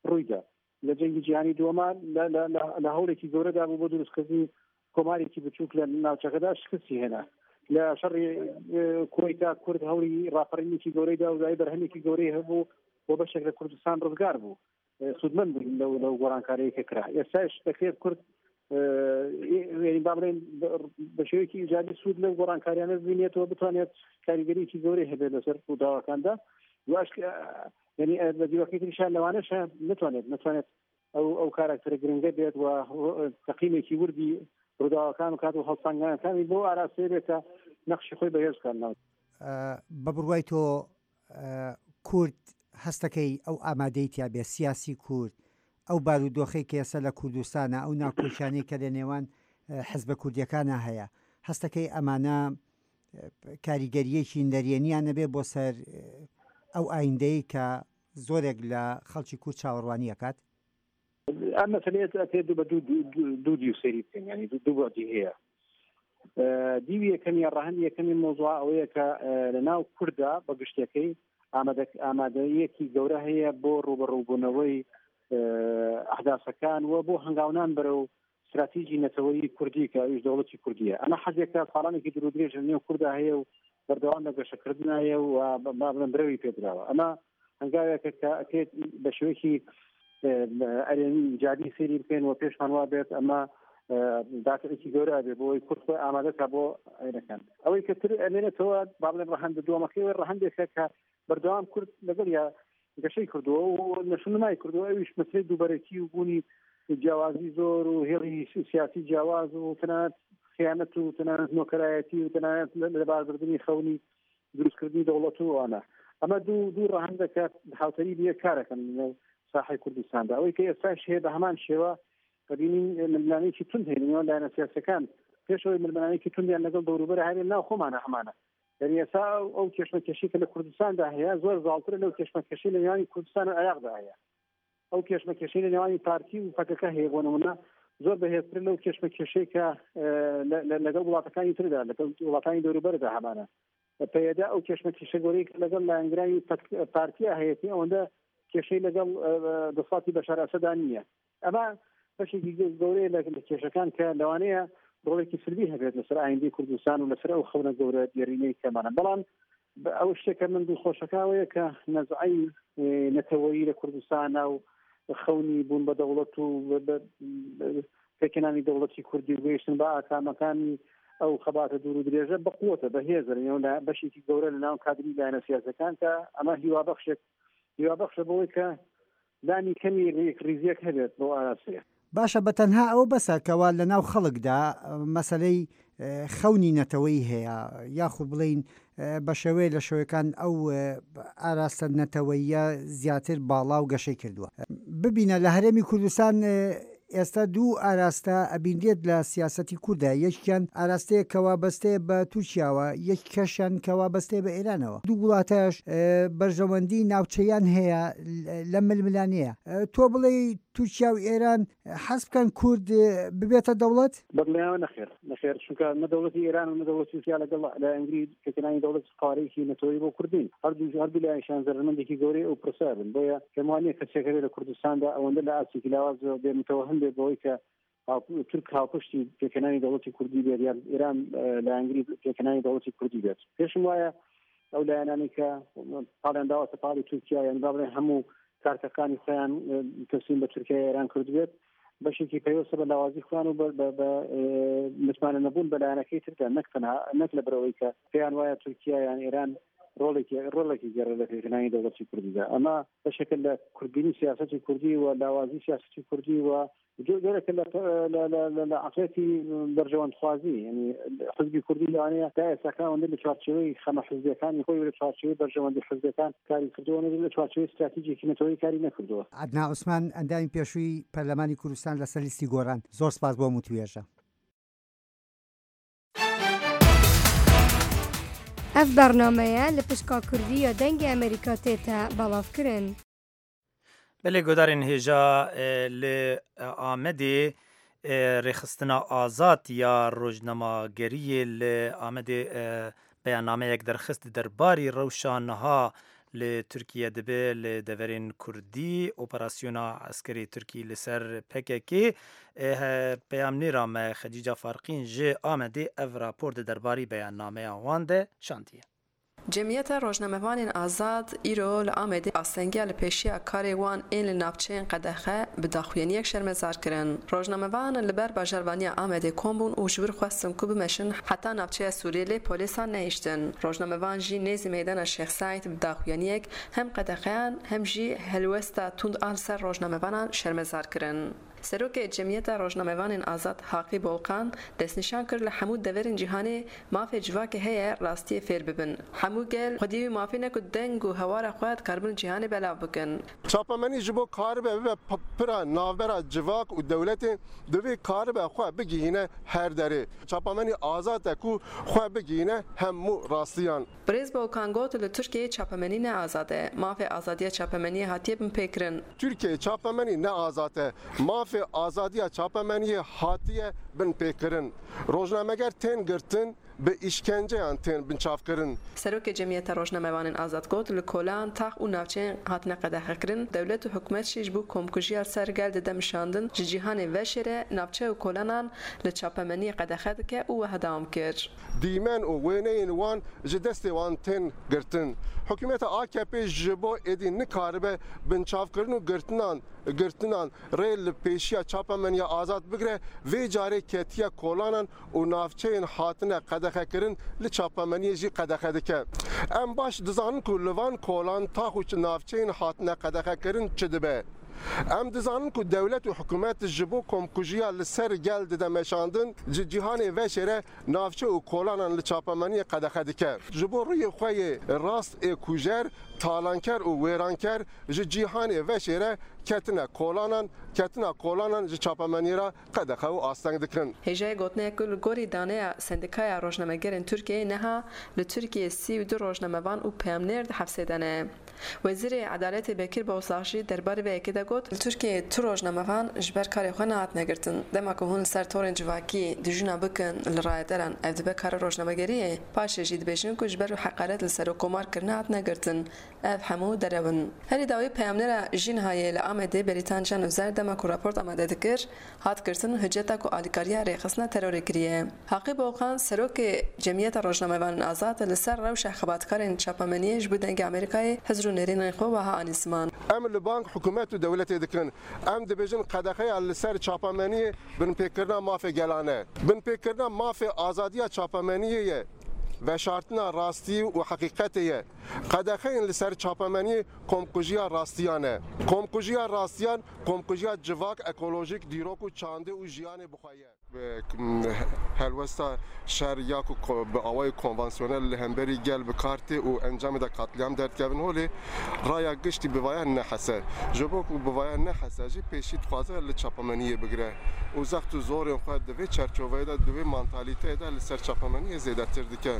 ڕوویدا لە جەنگی جیهانی دووەما لە هەوڵێکی گەورەدا بوو بۆ دروستکردنی کۆمارێکی بچووک لە ناوچەکەدا شکستی هێنا لە شەڕی کوەیتا کورد هەوڵی ڕاپەڕینێکی گەورەی دا و دوایی بەرهەمێکی گەورەی هەبوو بۆ بەشێک لە کوردستان ڕزگار بوو سوودمەند بووین لەو لەو گۆڕانکاریی کە کرا ئێستاش دەکرێت کورد یعنی با بڵێن بە شێوەیەکی ئیجابی سوود لەو گۆڕانکاریانە ببینێتەوە بتوانێت کاریگەریی گەورەی هەبێت لەسەر ڕووداوەکاندا واش یعنی بە دیوەکەی تریشان لەوانەشە نتوانێت نتوانێت ئەو ئەو کاراکتەرە گرنگە بێت و تەقیمێکی وردی ڕووداوەکان و کات و هەڵسەنگانەکانی بۆ ئاراستەیە بێت کە نەخشی خۆی بەهێز بکات ناو بە بڕوای تۆ کورد هەستەکەی ئەو ئامادەی تیا بێ سیاسی کورد ئەو بارودۆخەی کە ئێستا لە کوردستانە ئەو ناکۆکیانەی کە لە نێوان حزبە کوردیەکانە هەیە هەستەکەی ئەمانە کاریگەریەکی نەرێنیان نەبێ بۆ سەر ئەو ئایندەی کە زۆرێک لە خەڵکی کورد چاوەڕوانی ئەکات؟ ئەم مەسەلەیە ئەکرێت بە دوو دیو سەیری بکەین یعنی دوو بەعدی هەیە دیوی یەکەمی ڕەهەندی یەکەمی مۆزوع ئەوەیە کە لە ناو کووردا بە گشتەکەی ئامادەیەکی گەورە هەیە بۆ ڕوبەڕووبوونەوەی ئەحداسەکان و بۆ هەنگاونان بەرەو ستراتیجی نەتەوەیی کوردی کە ئەویش دەوڵەتی کوردیە ئەمە حەزێکە ساڵانێکی دوور و درێژ لە نێو کوردا هەیە و بەردەوام لە گەشەکردنایە و با بڵێم برەوی پێدراوە ئەمە هەنگاوێکە کە ئەکرێت بە شێوەیەکی ئەرێنی ئیجابی سەیری بکەین و پێشمان وا بێت ئەمە دافعێکی گەورە بێ بۆ ئەوەی کورد خۆی ئامادە کا بۆ عێرەکان ئەوەی کە تر ئەمێنێتەوە با بڵێم ڕەهەندە دووەمەکەی ڕەهەندێکە کە بەردەوام کورد لەگەڵ یا گەشەی کردووە و نەشونمای کردووە ئەویش مەسلەی دووبەرەکی و بوونی جیاوازی زۆر و هێڵی سیاسی جیاواز و تەنانەت خیانەت و تەنانەت نۆکەرایەتی و تەنانەت لەباربردنی خەونی دروستکردنی دەوڵەت و ئەوانە ئەمە دوو دوو ڕەهەندە کە هاوتەریب یەک کارەکەن لەنێو ساحەی کوردستاندا ئەوەی کە ئێستاش هەیە بە هەمان شێوە دەبینین ململانێکی توند هەیە لەنێوان لایەنە سیاسیەکان پێشەوەی ململانێکی توندیان لەگەڵ دەوروبەر هەبێت ناو خۆمانە هەمانە یعنی ئێستا ئەو کێشمەکێشی کە لە کوردستاندا هەیە زۆر زاڵترە لەو کێشمەکێشی لە نێوانی کوردستان و عێراقدا هەیە ئەو کێشمەکێشەی لە نێوانی پارتی و پەکەکە هەیە بۆ نمونە زۆر بەهێزتر لەو کێشمەکێشەی کە لەگەڵ وڵاتەکانی تردا لەگەڵ وڵاتانی دەوروبەردا هەمانە پەیەدە ئەو کێشمەکێشە گەورەی کە لەگەڵ لایەنگرانی پارتیا هەیەتی ئەوەندە کێشەی لەگەڵ دەسەڵاتی بەشار ئەسەدا نییە ئەمە بەشێکی گەورەیە لە کێشەکان کە لەوانەیە ڕۆڵێکی سلبی هەبێت لەسەر ئایندەی کوردستان و لەسەر ئەو خەونە گەورە دێرینەی کەمانە بەڵام ئەو شتێکە من دڵخۆشەکەوەیە کە نەزعی نەتەوەیی لە کوردستانە و خەونی بوون بە دەوڵەت و پێکهێنانی دەوڵەتی کوردی و گەیشتن بە ئاکامەکانی ئەو خەباتە دوور و درێژە بەقوتە بەهێزە لەنێو بەشێکی گەورە لە ناو کادری لایەنە سیاسەکان کە ئەمە هیوابەخشێک هیوابەخشە بەوەی کە لانی کەمی یەکڕیزییەک هەبێت بەو ئاراستەیە. باشە بە تەنها ئەوە بەسە کەوا لە ناو خەڵکدا مەسەلەی خەونی نەتەوەیی هەیە یاخود بڵێین بە شێوەیە لە شێوەکان ئەو ئاراستە نەتەوەییە زیاتر باڵا و گەشەی کردووە. ببینە لە هەرێمی کوردستان ئێستا دوو ئاراستە ئەبینرێت لە سیاسەتی کورددا، یەکیان ئاراستەیەک کە وابەستەیە بە تورکیاوە، یەکیکەشیان کە وابەستەیە بە ئێرانەوە. دوو وڵاتەش بەرژەوەندی ناوچەیان هەیە لەم ململانێیە. تۆ بڵێی تورکیا و ئێران حەز بکەن کورد ببێتە دەوڵەت؟ بەدڵنیایەوە نەخێر، نەخێر، چونکە نە دەوڵەتی ئێران و نە دەوڵەتی تورکیا لەگەڵ لایەنگری پێکهێنانی دەوڵەتی قەوارەیەکی نەتەوەیی بۆ کورد نین. هەردوو هەردوو لایەنیشیان زەرەرمەندێکی گەورەی ئەو پرسە بن. بۆیە پێم وا نییە کەسێک هەبێت لە کوردستاندا ئەوەندە لە ئاستێکی لاواز بێ متەوەهم بێت بەوەی کە تورک هاوپشتی پێکهێنانی دەوڵەتی کوردی بێت یان ئێران لایەنگری پێکهێنانی دەوڵەتی کوردی بێت. پێشم وایە ئەو لایەنانەی کە پاڵیان داوەتە پاڵی تورکیا یان با بڵێن هەموو کارتەکانی خۆیان تەسلیم بە تورکیا ئێران کردبێت بەشێکی پەیوەستە بە لاوازی خۆیان و بە متمانە نەبوون بە لایەنەکەی تردا نەک تەنها نەک لە بەرەوەی کە پێیان وایە تورکیا یان ئێران ڕۆڵێکی ڕۆڵێکی گەڕە لە پێکهێنانی دەوڵەتی کوردیدا ئەمە بەشێکە لە کوردبینی سیاسەتی کوردی و لاوازی سیاسەتی کوردی و جۆرێکە لە عەقڵیەتی بەرژەوەندخوازی، یانی حزبی کوردی لەوانەیە تا ئێستاکە ئەوەندە لە چوارچێوەی خەمە حزبیەکانی خۆی و لە چوارچێوەی بەرژەوەندی حزبیەکان کاری کردووە نەبێت لە چوارچێوەی ستراتیجێکی نەتەوەیی کاری نەکردووە. عەدنان عوسمان، ئەندامی پێشووی پەرلەمانی کوردستان لەسەر لیستی گۆڕان، زۆر سپاس بۆ ئەم وتووێژە. ئەڤ بەرنامەیە لە پشکا کوردی یا دەنگێ ئەمریکا تێتە بەڵاڤ کرن. Belê guhdarên hêja li Amedê Rêxistina Azad ya Rojnemageriyê li Amedê beyannameyek derxist derbarî rewşa niha li Tirkiye dibe li deverên Kurdî operasyona eskerê Tirkî li ser pkk peyamnêra me Xecîca Farqîn ji Amedê ev rapor di derbarî beyannameya wan de şandiye. Cemiyeta Rojnamevanên Azad îro li Amedê astengiya li pêşiya karê wan ên li navçeyên qedexe bi daxuyaniyek şermezar kirin. Rojnamevan li ber bajarvaniya Amedê kom bûn û ji wir xwestin ku bimeşin heta navçeya Sûrê lê polêsan nehiştin. Rojnamevan jî nêzî meydana Şêx Seîd bi daxuyaniyek hem qedexeyan hem jî helwesta tund a li ser rojnamevanan şermezar kirin. Serokê Cemiyeta Rojnamevanên Azad Haqî Bolkan destnîşan kir li hemû deverên cîhanê mafê civakê heye rastiyê fêr bibin. Hemû gel xwedî wî mafê ne ku deng û hewara xwe dikaribin li cîhanê belav bikin. Çapemenî ji bo karibe bibe pira navbera civak û dewletê divê karibe xwe bigihîne her derê. Çapemenî azad e ku xwe bigihîne hemû rastiyan. Birêz Bolkan got, Li Tirkiyeyê çapemenî ne azad e. Mafê azadiya çapemeniyê hatiye binpêkirin. Tirkiyeyê çapemenî ne azad e. Mafê azadiya çapemeniyê hatiye binpêkirin. Rojnameger tên girtin, bi îşkenceyan tên binçavkirin. Serokê Cemiyeta Rojnamevanên Azad got, Li kolan, tax û navçeyên hatine qedexekirin, dewlet û hikûmet jî ji bo komkujiya li ser gel dide mişandin, ji cîhanê veşêre, navçe û kolanan li çapemeniyê qedexe dike û wiha dewam kir. Dîmen û wêneyên wan ji destê wan tên girtin. Hikûmeta AKP'ê ji bo êdî nikaribe binçavkirin û girtinan girtinan rê li pêşiya çapemeniya azad bigire, vê carê ketiye kolanan û navçeyên hatine qedexekirin li çapemeniyê jî qedexe dike. Em baş dizanin ku li van kolan, tax û navçeyên hatine qedexekirin çi dibe. Em dizanin ku dewlet û hikûmet ji bo komkujiya li ser gel dide meşandin, ji cîhanê veşêre navçe û kolanan li çapemeniyê qedexe dike. Ji bo rûyê xwe yê rast ê kujer, talanker û wêranker ji cîhanê veşêre ketine kolanan, ketina kolanan ji çapemeniyê re qedexe û asteng dikin. Hêjayê gotinê ku li gorî daneya Sendikaya Rojnamegerên Tirkiyeyê niha li Tirkiyeyê 32 rojnamevan û peyamnêr di hefsê de ne. Wezîrê Edaletê Bekir Bozdag jî derbarê vê yekê de got, Li Tirkiyeyê tu rojnamevan ji ber karê xwe nehatine girtin. Dema ku hûn li ser torên civakî dijûna bikin li rayedaran ev dibe karê rojnamegeriyê. Paşê jî dibêjin ku ji ber heqaret li serokkomar kirine hatine girtin. Ev hemû derew in. Herî dawî peyamnêra JINHA'yê li Amedê Berîtan Can Ozer dema ku raport amade dikir, hat girtin hiceta ku alîkariya rêxistina terorê kiriye. Haqî Bolkan, Serokê Cemiyeta Rojnamevanên Azad li ser rewşa xebatkarên çapemeniyê ji bo Dengê Amerîkayê hizr û nêrînên xwe wiha anî ziman. Em li bang hikûmet û dewletê dikin. Em dibêjin qedexeya li ser çapemeniyê binpêkirina mafê gelan e. Binpêkirina mafê azadiya çapemeniyê ye. Veşartina rastî û heqîqetê ye. Qedexeyên li ser çapemeniyê komkujiya rastiyan e. Komkujiya rastiyan, komkujiya civak, ekolojîk, dîrok û çandê û jiyanê bi xwe ye. Helwesta şer ya ku bi awayê konvansiyonel li hemberî gel bi kar tê û encamê de katlîam derdikevin holê, raya giştî bi vaya nehese. Ji bo ku bi vaya nehese jî pêşî dixwaze li çapemeniyê bigire û zext û zorên xwe di vê çerçoveyê de, di wê mantalîteyê de li ser çapemeniyê zêdetir dike.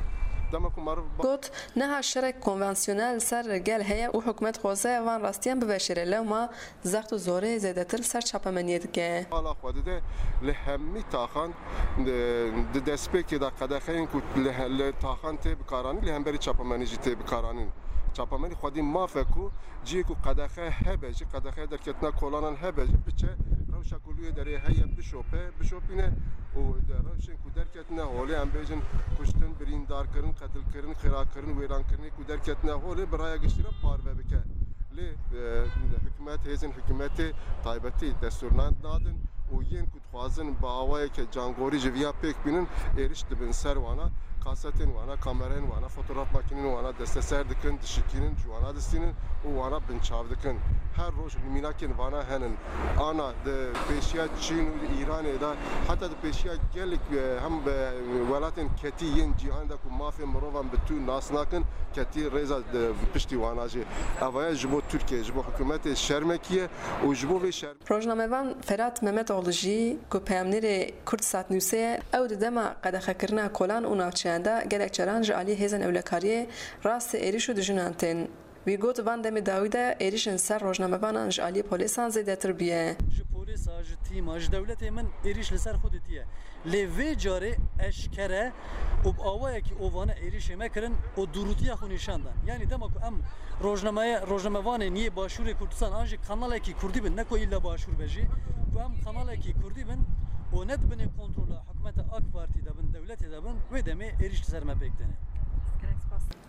Dema ku meriv. Got, Niha şerek konvansiyonel li ser gel heye û hikûmet dixwaze van rastiyan biveşêre lewma zext û zorê zêdetir li ser çapemeniyê dike. Bala xwe dide li hemî taxan di destpêkê de qedexeyên ku li taxan tê bikaranîn li hemberî çapemenî jî tê bikaranîn. Çapemenî xwedî maf e ku cihê ku qedexe hebe jî qedexeya derketina kolanan hebe jî biçe. Rewşa ku li wê derê heye bişope, bişopîne û rewşên ku derketine holê em bêjin kuştin, birîndarkirin, qetilkirin, xirakirin, wêrankirinê ku derketine holê bi raya giştî re parve bike. Lê hikûmet, hêzên hikûmetê taybetî destûr nadin û yên ku dixwazin bi awayeke cangorî ji viya pêk bînin êriş dibin ser wana, kasetên wana, kamerayên wana, fotograf makînên wana desteser dikin, dişikînin, ji wana distînin û wana binçav dikin. Her roj mînakên vana henin. Ana di pêşiya Çîn û Îranê de heta di pêşiya gelek hem welatên ketî yên cîhanê de ku mafê mirovan bi tu nas nakin ketî rêza piştî wana jî. Ev ji bo Tirkiyeyê ji bo hikûmetê şermekî ye û ji bo vê şermê Rojnamevan Ferat Memetoğlu jî ku peyamnêrê Kurdsat Newsê ye, ew di dema qedexekirina kolan û navçeyan de gelek caran ji aliyê hêzên ewlekariyê rastî êrîş û dijûnan tên. Wî got van demê dawî de êrîşên ser rojnamevanan ji aliyê polêsan zêdetir bûye. Ji polêsa, ji tîma, ji dewletê min êrîş li ser xwe dîtiye. Lê vê carê eşkere û bi awayekî ovane êrîşê me kirin û dûrûtiya xwe nîşan dan. Yanî dema ku em rojnameye rojnamevanên yê Başûrê Kurdistan an jî kanalekî kurdî bin ne ku îlla Başûr be jî ku em kanalekî kurdî bin û ne di binê kontrola hikûmeta AK Partî de bin dewletê de bin wê demê êrîş li ser me pêk têne.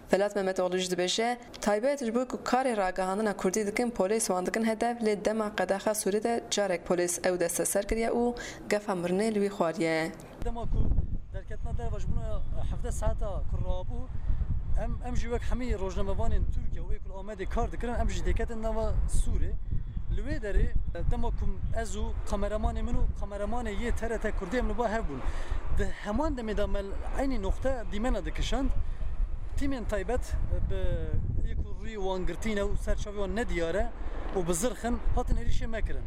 Felat Memetoğlu jî dibêje, Taybet ji bo ku karê ragihandina kurdî dikin polês wan dikin hedef lê dema qedexa Sûrê de carek polês ew desteser kiriye û gefa mirinê li wî xwariye. Dema ku derketina derve ji bona 17 saeta ku rabû em em jî wek hemî rojnamevanên Tirkiye û ê ku li Amedê kar dikirin em jî têketin nava Sûrê. Li wê derê dema ku ez û kameramanê min û kameramanê yê TRT Kurdî em li ba hev bûn. Di heman demê de me li eynî noqte dîmena dikişand. Tîmên taybet bi yê ku rûyê wan girtî ne û ser çavê wan ne diyar e û bi zirx in hatin êrîşê me kirin.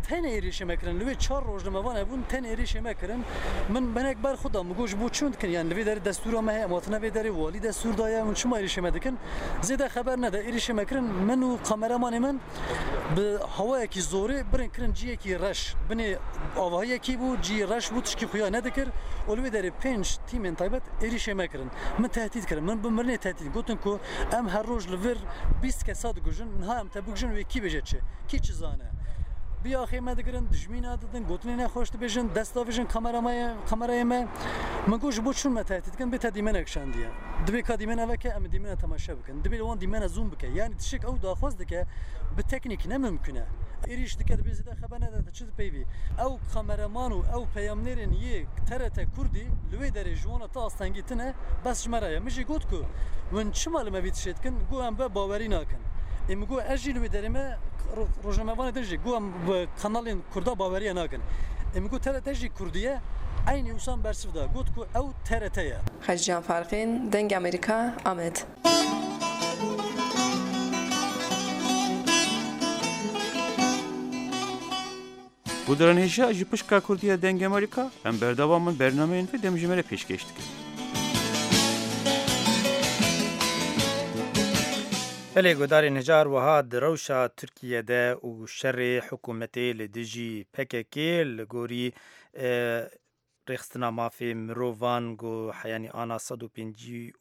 Tenê êrîşê me kirin. Li wê çar rojnamevan hebûn tenê êrîşê me kirin. Min hinek ber xwe da min got ji bo çi hûn dikin yan li vê derê destûra me heye em hatine vê derê walî destûr daye hûn çima êrîşê me dikin. Zêde xeber neda êrîşê me kirin min û kameramanê min bi hawayekî zorê birin kirin ciyekî reş. Binê avahiyekî bû, ciyê reş bû, tişkî xuya nedikir û li wê derê pênc tîmên taybet êrîşê me kirin. Min tehdîd kirin, min bi mirinê tehdîd gotin ku em her roj li vir 20 kesa dikujin, niha em te bikujin wê kî bêje çi? Kî çi zane? Bi axê me digirin, dijmîna didin, gotinê nexweş dibêjin, dest davêjin kamerayê me. Min got ji bo çûn me tehdîd dikin, bê te dîmenek şandiye. Divê ka dîmena veke em ê dîmena temaşe bikin. Divê li wan dîmena zoom bike. Yanî tiştek ew daxwaz dike bi teknîk ne mimkun e. Êrîş dike dibê zêde xeber nede tu çi dipeyvî. Ew kameraman û ew peyamnêrên yê TRT Kurdî li wê derê ji wan re ti astengî tine bes ji me re ye. Min jî got ku win çima li me vî tiştê dikin got em be bawerî nakin. Ê min got ez jî li wê derê me rojnamevanê din jî got em bi kanalên Kurda baweriye nakin. Ê min got TRT jî Kurdî ye eynî wisan bersiv da got ku ew TRT ye. Xeccan Farqîn, Dengê Amerîka, Amed. Guhdaran hêja ji pişka Kurdî ya Dengê Amerîka em berdewam in bernameyên vê demjimêrê pêşkêş dikin. Belê guhdarên hêja her wiha di rewşa Tirkiye de û şerê hikûmetê li dijî pkk li gorî Rêxistina Mafê Mirovan got heyanî ana 157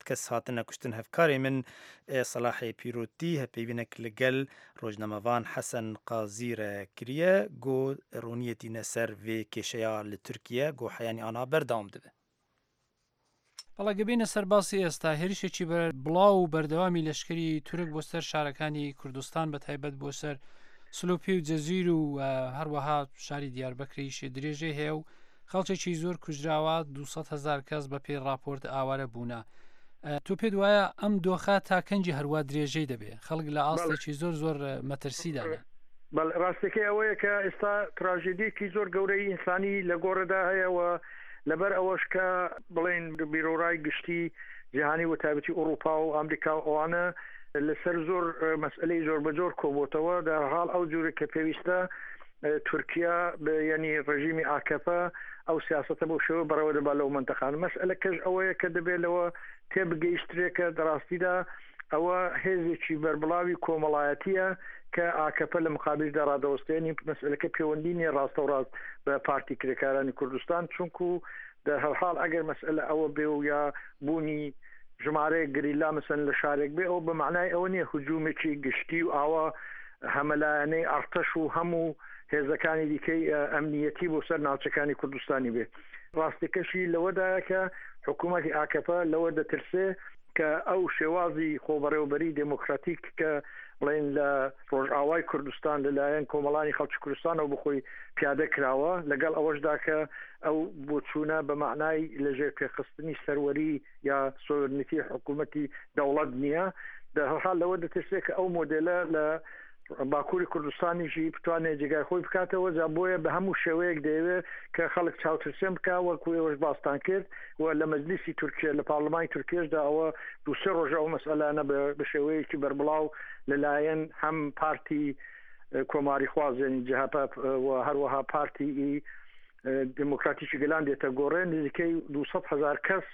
kes hatine kuştin hevkarê min Selahê Pîrotî hevpeyvînek li gel rojnamevan Hesen Qazî re kiriye got roniyê tîne ser vê kêşeya li Tirkiye got heyanî ana berdewam dibe. بەڵێ گەبینە سەر باسی ئێستا هێرشێکی بەر بڵاو و بەردەوامی لەشکری تورک بۆ سەر شارەکانی کوردستان بە تایبەت بۆ سەر سلوپی و جەزیر و هەروەها شاری دیاربەکریش درێژەی هەیە و خەڵکێکی زۆر کوژراوە 200 هزار کەس بە پێی راپۆرت ئاوارە بوونە تۆ پێت وایە ئەم دۆخە تا کەنجی هەروە درێژەی دەبێ خەڵک لە ئاستێکی زۆر زۆر مەترسیدانە بەڵێ ڕاستەکەی ئەوەیە کە ئێستا تراژێدیەکی زۆر گەورەی ئینسانی لە گۆڕێدا هەیە و لەبەر ئەوەش کە بڵێین بیرۆڕای گشتی جیهانی و تایبەتی ئوڕووپا و ئامریکا و ئەوانە لەسەر زۆر مەسئلەی زۆر بەجۆر کۆبۆتەوە دەرحاڵ ئەو جوورە کە پێویستە تورکیا یعنی ڕژیمی ئاکەپە ئەو سیاستە بەو شێوە بەڕێوە دەبا لەو منتەقان مەسئلەکەش ئەوەیە کە دەبێت لەوە تێبگەیشترێکە دەڕاستیدا ئەوە هێزێکی بەربڵاوی کۆمەڵایەتییە کە ئاکەپە لە مقابیلدا ڕادەوەستێ، یانی مەسئەلەکە پێوەندی نییە ڕاستەوڕاست بە پارتی کرێکارانی کوردستان، چونکو دەرهەرحاڵ ئەگەر مەسئەلە ئەوە بێ و یا بوونی ژمارەیەک گریلا مەسەلەن لە شارێک بێ ئەوە بە مەعنای ئەوە نییە هجوومێکی گشتی و ئاوا. هەمەلایەنەی ئەڕتەش و هەموو هێزەکانی دیکەی ئەمنیەتی بۆ سەر ناوچەکانی کوردستانی بێ. ڕاستیەکەشی لەوەدایە کە حکوومەتی ئاکەپە لەوە دەترسێ کە ئەو شێوازی خۆبەڕێوەبەری دێمۆکراتیک کە بڵێن لە ڕۆژئاوای کوردستان لەلایەن کۆمەڵانی خەڵکی کوردستانەوە بخۆی پیادە کراوە لەگەڵ ئەوەشدا کە ئەو بۆچوونە بە مەعنای لەژێر پێخستنی سەروەری یا سۆرنیتی حکوومەتی دەوڵەت نییە دەرحاڵ لەوە دەترسێت کە ئەو مۆدێلە لە باکووری کوردستانیشی بتوانێت جێگای خۆی بکاتەوە جا بۆیە بە هەموو شێوەیەک دەیەوێت کە خەڵک چاوترسێن بکا وەکو ئێوەش باستان کرد و لە مەجلیسی تورکیە لە پارلمانی تورکیەشدا ئەوە دوو سێ ڕۆژە ئەو مەسئەلانە بە شێوەیەکی بەربڵاو لەلایەن هەم پارتی کۆماریخواز یعنی جەهەپە و هەروەها پارتی ئی دێمۆکراتیکی گەلان دێتە گۆڕێ، نزیکەی 200 هەزار کەس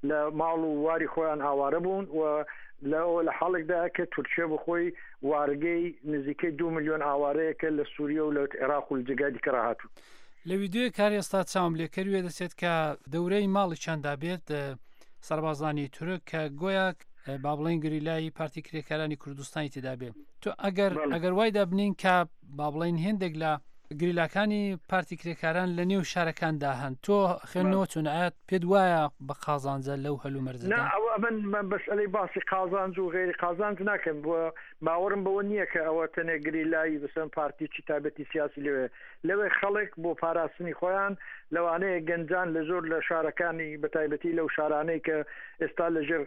لە ماڵ و واری خۆیان ئاوارە بوون و لەوە لە حاڵێکدایە کە تورکیە بەخۆی وارگەی نزیکەی دو ملیۆن ئاوارەیەکە لە سووریە و لە عێراق و لە جێگای دیکە ڕاهاتوون. لە ویدیۆیەک کار ئێستا چاوم لێ کەر وێ دەچێت کە دەورەی ماڵیچاندا بێت سەربازانی تورک کە گۆیا با بڵێن گریلای پارتی کرێکارانی کوردستانی تێدا بێ تۆ ئەگەر ئەگەر وای دابنین کە با بڵێین هێندێک لە گریلاکانی پارتی کرێکاران لە نێو شارەکاندا هەن تۆ خوێندنەوە چۆن ئایا پێت وایە بە قازانجە لەو هەلومەرجەدا؟ نا ئەوە من من مەسئەلەی باسی قازانج و غەیری قازانج ناکەم و باوەڕم بەوە نییە کە ئەوە تەنێ گریلای بەسەن پارتیی تایبەتی سیاسی لەوێ لەوێ خەڵک بۆ پاراستنی خۆیان لەوانەیە گەنجان لە زۆر لە شارەکانی بەتایبەتی لەو شارانەی کە ئێستا لە ژێر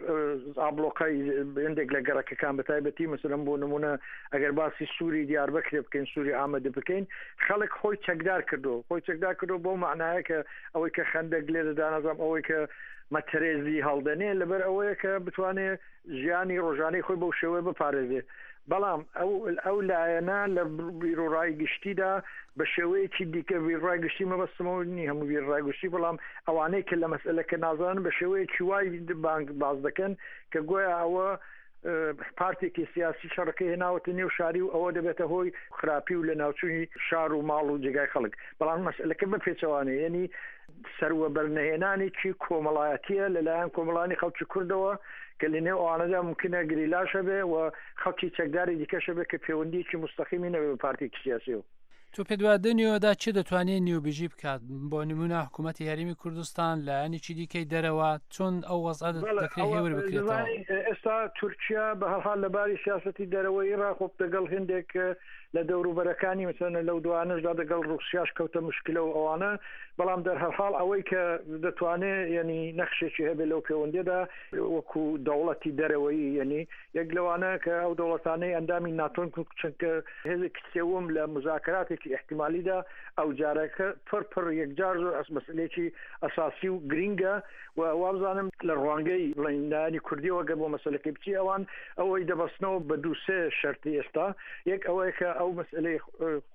ئابڵۆقای هەندێک لە گەڕەکەکان بە تایبەتی مەسەلەن بۆ نمونە ئەگەر باسی سووری دیاربەکرێ بکەین سووری ئامەد بکەین خەڵک خۆی چەکدار کردو خۆی چەکدار کردو بۆ معنایە کە ئەوەی کە خەندەک لێ دەدا نازانم ئەوەی کە مەتەرێزی هەڵدەنێ لەبەر ئەوەیە کە بتوانێ ژیانی ڕۆژانەی خۆی بەو شێوەیە بپارێزێ بەڵام ئەو ئەو لایەنە لە بیرۆڕای گشتیدا بە شێوەیەکی دیکە بیرڕای گشتی مەبەستمەوە نی هەموو بیرڕای گشتی بەڵام ئەوانەی کە لە مەسئلەکە نازانن بە شێوەیەکی وای بانگ باز دەکەن کە گۆیا ئەوە پارتێکی سیاسی شەڕەکەی هێناوەتە نێو شاری و ئەوە دەبێتە هۆی خراپی و لە ناوچووی شار و ماڵ و جێگای خەڵک بەڵام مەسئلەکە بە پێچەوانەیە یعنی سەروەبەرنەهێنانێکی کۆمەڵایەتییە لەلایەن کۆمەڵانی خەڵکی کوردەوە کە لە نێو ئەوانەدا مومکینە گریلاش هەبێ و خەڵکی چەکداری دیکەش هەبێ کە پێوەندییەکی موستەقیمی نەبێ بە پارتێکی سیاسییەوە. تۆ پێت وایە دە نێوەدا کێ دەتوانێ نێوبژی بکات؟ بۆ نموونە حکوومەتی هەرێمی کوردستان، لایەنێکی دیکەی دەرەوە، چۆن ئەو وەزعە بەڵێ دەکرێ ئەوە هێور بکرێتەوە؟ دەزانی ئێستا تورکیا بە هەر حاڵ لە باری سیاسەتی دەرەوەیی ڕا خۆ دەگەڵ هێندێک لە دەوروبەرەکانی مەسەلەن لەو دوانەشدا دەگەڵ ڕووسیاش کەوتە مشکلە و ئەوانە بەڵام دەرهەرحاڵ ئەوەی کە دەتوانێ یەنی نەخشێکی هەبێ لەو پێوەندیەدا وەکو دەوڵەتی دەرەوەیی یەنی یەک لەوانە کە ئەو دەوڵەتانەی ئەندامی ناتۆن چونکە هێزێکی سێوم لە مزاکراتێکی ئیحتیمالیدا ئەو جارەکە پڕ پڕ یەکجار زۆر ئەس مەسئلەیەکی ئەساسی و گرینگە و وابزانم لە ڕوانگەی بڵێین لایەنی کوردیەوە گەر بۆ مەسەلەکەی بچی ئەوان ئەوەی دەبەستنەوە بە دوو سێ شەرتی ئێستا یەک ئەوەیە کە ئەو مەسئلەی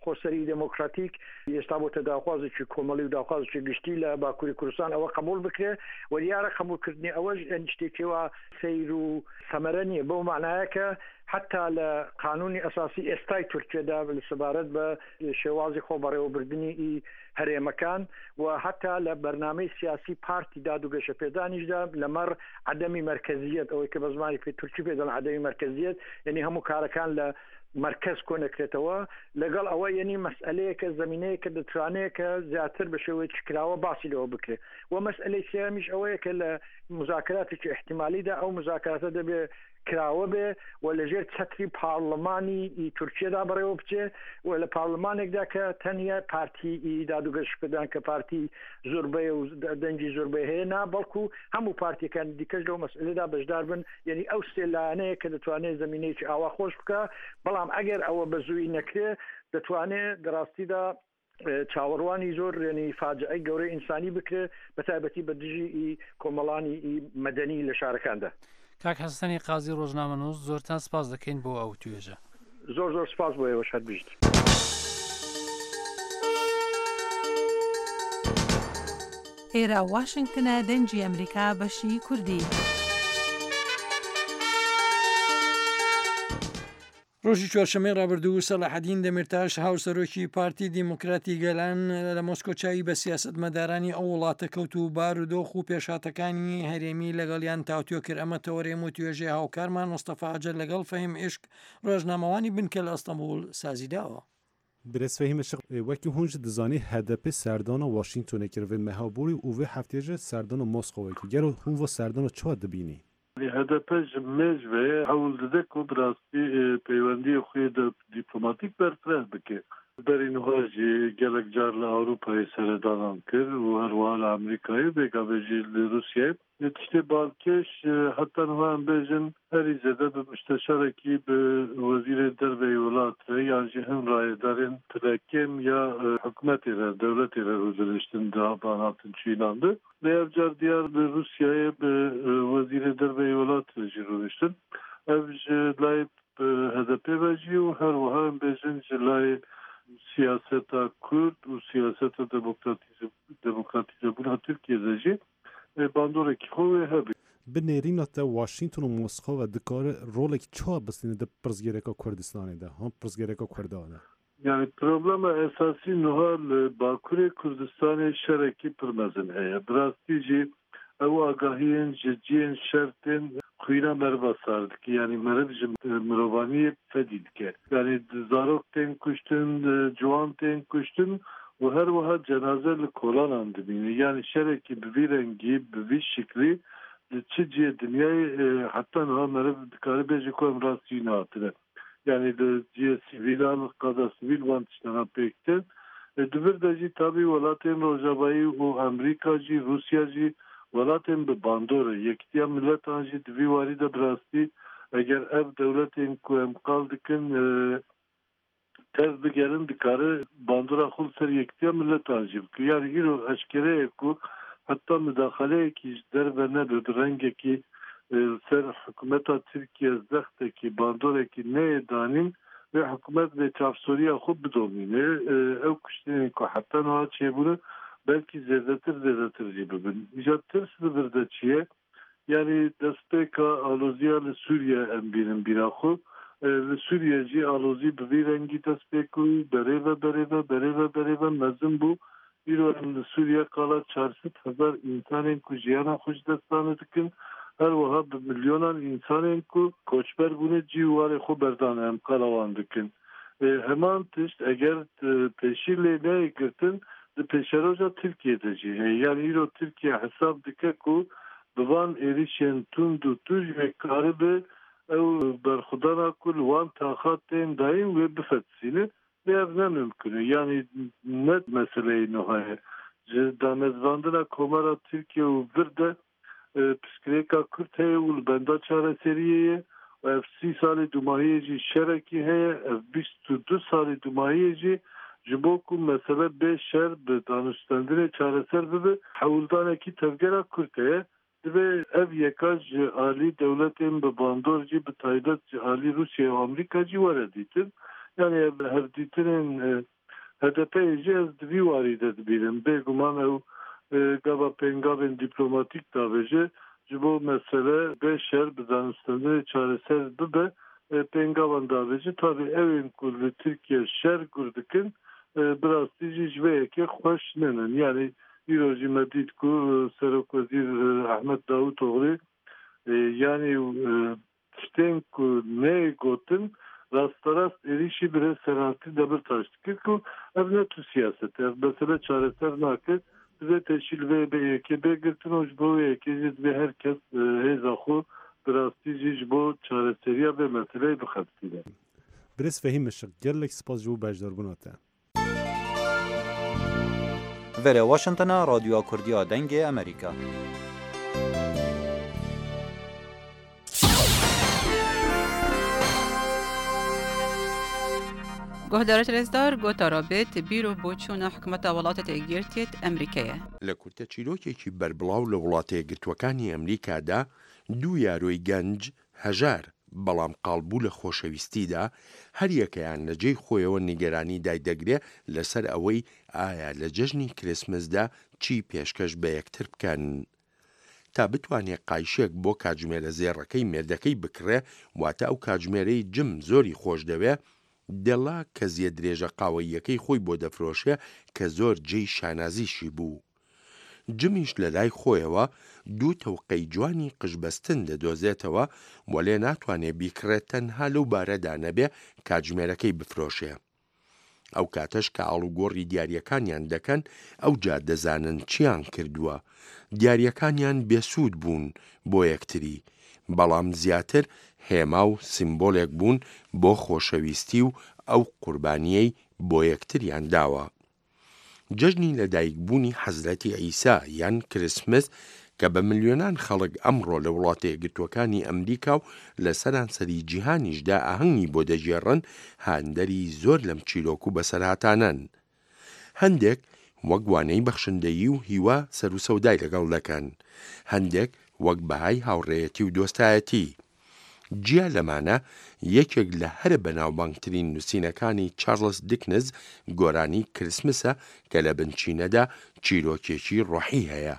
خۆسەری دێمۆکراتیک ئێستا بۆتە داخوازێکی کۆمەڵی و داخوازێکی گشتی لە باکووری کوردستان ئەوە قبوڵ بکرێ و دیارە قبوڵکردنی ئەوەش یانی شتێکی وا سەیر و سەمەرە نییە بەو مەعنایە کە حەتا لە قانوونی ئەساسی ئێستای تورکیەدا سەبارەت بە شێوازی خۆ بەڕێوەبردنی ئی هەرێمەکان و هەتا لە بەرنامەی سیاسی پارتی داد و گەشەپێدانیشدا لەمەڕ عەدەمی مەرکەزیەت ئەوەی کە بە زمانی پێ تورکی پێ دەڵێن عەدەمی مەرکەزیەت یعنی هەموو کارەکان لە مەرکەز کۆ نەکرێتەوە لەگەڵ ئەوە یعنی مەسئلەیەکە زمینەیەکە دەتوانێت کە زیاتر بە شێوەیەکی کراوە باسی لەوە بکرێت و مەسئلەی سێیەمیش ئەوەیە کە لە مزاکراتێکی احتیمالیدا ئەو مزاکراتە دەبێت کراوە بێ و لە ژێر چەتری پارڵمانی ئی تورکیەدا بەڕێوە بچێ و لە پارڵمانێکدا کە تەنیا پارتی ئی داد و گەشەپێدان کە پارتی زۆربەیە و دەنگی زۆربەی هەیە نا بەڵکو هەموو پارتیەکانی دیکەش لەو مەسئلەدا بەشدار بن یعنی ئەو سێ لایەنەیە کە دەتوانێت زمینەیەکی ئاوا خۆش بکە بەڵام ئەگەر ئەوە بە زووی نەکرێ دەتوانێت دەڕاستیدا چاوەڕوانی زۆر یعنی فاجعەی گەورەی ئینسانی بکرێ بە تایبەتی بە دژی ئی کۆمەڵانی ئی مەدەنی لە شارەکاندا. کاک حەسەنی قازی ڕۆژنامەنووس زۆرتان سپاس دەکەین بۆ ئەو توێژە. زۆر زۆر سپاس بۆ ئێوەش هەر بژیت. ئێرە واشنگتنە دەنگی ئەمریکا بەشی کوردی. ڕۆژی چوارشەممەی ڕابردوو سەلاحەدین دەمیرتاش هاوسەرۆکی پارتی دیموکراتی گەلان لە مۆسکۆ چاوی بە سیاسەتمەدارانی ئەو وڵاتە کەوت و بارودۆخ و پێشهاتەکانی هەرێمی لەگەڵیان تاوتوێ کرد ئەمە تەوەرەی وتوێژەی هاوکارمان مستەفا ئەجەر لەگەڵ فەهیم ئیشک ڕۆژنامەوانی بنکە لە ئەستەنبوڵ سازیداوە. Birêz Fehîm Işık, wekî hûn jî dizanî HDP'ê serdana Washingtonê kir vê meha borî û vê hefteyê jî serdana Moskowê kir. Gelo hûn va serdana çawa dibînî? Hdp ji mêj ve hewl dide ku bi rastî peywendiyên xwe yê dîplomatîk berfireh bike. Berî niha jî gelek car li Ewropayê seredanan kir û her wiha li Amerîkayê, vê gavê jî li Rûsyayê. Lê tiştê balkêş heta niha em bêjin herî zêde bi mişteşarekî bi wezîrê derveyî welat re yan jî hin rayedarên pilekêm ya hikûmetê re, dewletê re rûdiniştin di van hatin çûyînan de. Lê ev car diyar li Rûsyayê bi wezîrê derve yê welat re jî rûniştin. Ev ji layê HDP'ê ve jî û her wiha em bêjin ji layê siyaseta Kurd û siyaseta demokratîzebûna Tirkiyê de jî bandorekî xwe wê hebe. Bi nêrîna te Washington û Moskova dikare rolek çawa bistîne di pirsgirêka Kurdistanê de, han pirsgirêka Kurdan de? Yanî problema esasî nuha li Bakurê Kurdistanê şerekî pir mezin heye. Bi rastî jî ew agahiyên ji ciyên şer tên xwîna meriva sar dike. Yanî meriv ji mirovaniyê fedî dike. Yanî zarok tên kuştin, ciwan tên kuştin û her wiha cenaze li kolanan dimîne. Yanî şerekî bi vî rengî, bi vî şiklî li çi ciyê dinyayê heta niha meriv dikare bêje ku em rastî wî nehatine. Yanî li cihê sivîlan, qada sivîl van tiştana pêk tên. Di vir de jî tabî welatên rojavayî û Emrîka jî, Rûsya jî welatên bi bandor e. Yekîtiya Miletan jî di vî warî de bi rastî eger ev dewletên ku em qal dikin tev bigerin dikare bandora xwe li ser Yekîtiya Miletan jî bike. Yanî îro eşkere ye ku heta midaxaleyekî ji derve nebe bi rengekî li ser hikûmeta Tirkiye zextekî, bandorekî neyê danîn, wê hikûmet vê çavsoriya xwe bidomîne. Ew kuştinên ku heta niha çêbûne belkî zêdetir zêdetir jî bibin. Îja tirs li vir de çi ye? Yanî destpêka aloziya li Sûriye em bînin bîra xwe. Li Sûriye jî alozî bi vî rengî dest pê kir û berêve berêve berêve berêve mezin bû. Îro em li Sûriye qala 400,000 însanên ku jiyana xwe ji dest dane dikin. Her wiha bi milyonan însanên ku koçber bûne cî û warê xwe berdane em qala wan dikin. Heman tişt eger pêşî lê neyê girtin di pêşeroja Tirkiyê de jî heye. Yanî îro Tirkiye hesab dike ku bi van êrîşên tund û tûj wê karibe ew berxwedana ku li wan taxa tên dayîn wê bifetisîne. Lê ev ne mimkun e. Yanî ne meseleyê nuha ye. Ji damezrandina Komara Tirkiye û vir de Pirsgirêka Kurd heye û li benda çareseriyê ye û ev 30 salê dûmahiyê jî şerekî heye, ev 22 salê dûmahiyê jî ji bo ku mesele bê şer bi danûstendinê çareser bibe hewldanekî tevgera Kurd heye. Divê ev yeka ji alî dewletên bi bandor jî bi taybet ji alî Rûsya û Amerîka jî were dîtin. Yanî ev hevdîtinên HDP'ê jî ez di vî warî de dibînim. Bêguman ew gava pêngavên dîplomatîk davêje ji bo mesele bê şer bi danûstendinê çareser bibe pêngavan davêje. Tabî ew ên ku li Tirkiye şer gur dikin bi rastî jî ji vê yekê xweş ninin. Yanî îro jî me dît ku Serokwezîr Ahmet Davutoglu yanî Tiştên ku neyê gotin rasterast êrîşî birêz Selahattin Demirtaş dikir ku ev ne tu siyaset e, ev mesele çareser nake. Divê pêşî li vê yekê bê girtin û ji bo wê yekê jî divê her kes hêza xwe bi rastî jî ji bo çareseriya vê meseleyê bixebitîne. Birêz Fehîm Işık, gelek spas ji bo beşdarbûna te. Verê Washingtona Radyoya Kurdî ya Dengê Amerîka. Guhdarê rêzdar gotara bêt bîr û boçûna hikûmeta Welatê Yekgirtiyê Emrîkê ye. لە کورتە چیرۆکێکی بەربڵاو لە وڵاتە یەکگرتووەکانی ئەمریکادا، دوو یارۆی گەنج، هەژار، بەڵام قاڵبوو لە خۆشەویستیدا، هەریەکەیان لە جێی خۆیەوە نیگەرانی دایدەگرێ لەسەر ئەوەی ئایا لە جەژنی کریسمسدا چی پێشکەش بە یەکتر بکەن. تا بتوانێ قایشێک بۆ کاتژمێرە زێڕەکەی مێردەکەی بکڕێ، واتە ئەو کاتژمێرەی جم زۆری خۆش دەوێ، دێڵا کەزیە درێژە قاوەییەکەی خۆی بۆ دەفرۆشێ کە زۆر جێی شانازیشی بوو. جمیش لە لای خۆیەوە دوو تەوقەی جوانی قژبەستن دەدۆزێتەوە، وەلێ ناتوانێ بیکڕێ تەنها لەو بارەدا نەبێ کاتژمێرەکەی بفرۆشێ. ئەو کاتەش کە ئاڵوگۆڕی دیارییەکانیان دەکەن، ئەوجا دەزانن چیان کردووە. دیارییەکانیان بێسوود بوون بۆ یەکتری، بەڵام زیاتر هێما و سیمبۆلێک بوون بۆ خۆشەویستی و ئەو قوربانییەی بۆ یەکتریان داوە. جەژنی لەدایکبوونی حەزرەتی عیسا یان کریسمس کە بە ملیۆنان خەڵک ئەمڕۆ لە وڵاتە یەکگرتووەکانی ئەمریکا و لە سەرانسەری جیهانیشدا ئاهەنگی بۆ دەگێڕن، هاندەری زۆر لەم چیرۆک و بەسەرهاتانەن. هەندێک وەک وانەی بەخشندەیی و هیوا سەروسەودای لەگەڵ دەکەن، هەندێک وەک بەهای هاوڕێیەتی و دۆستایەتی. جیا لەمانە، یەکێک لە هەرە بەناوبانگترین نووسینەکانی چارڵس دیکنز گۆرانی کریسمسە کە لە بنچینەدا چیرۆکێکی ڕۆحی هەیە.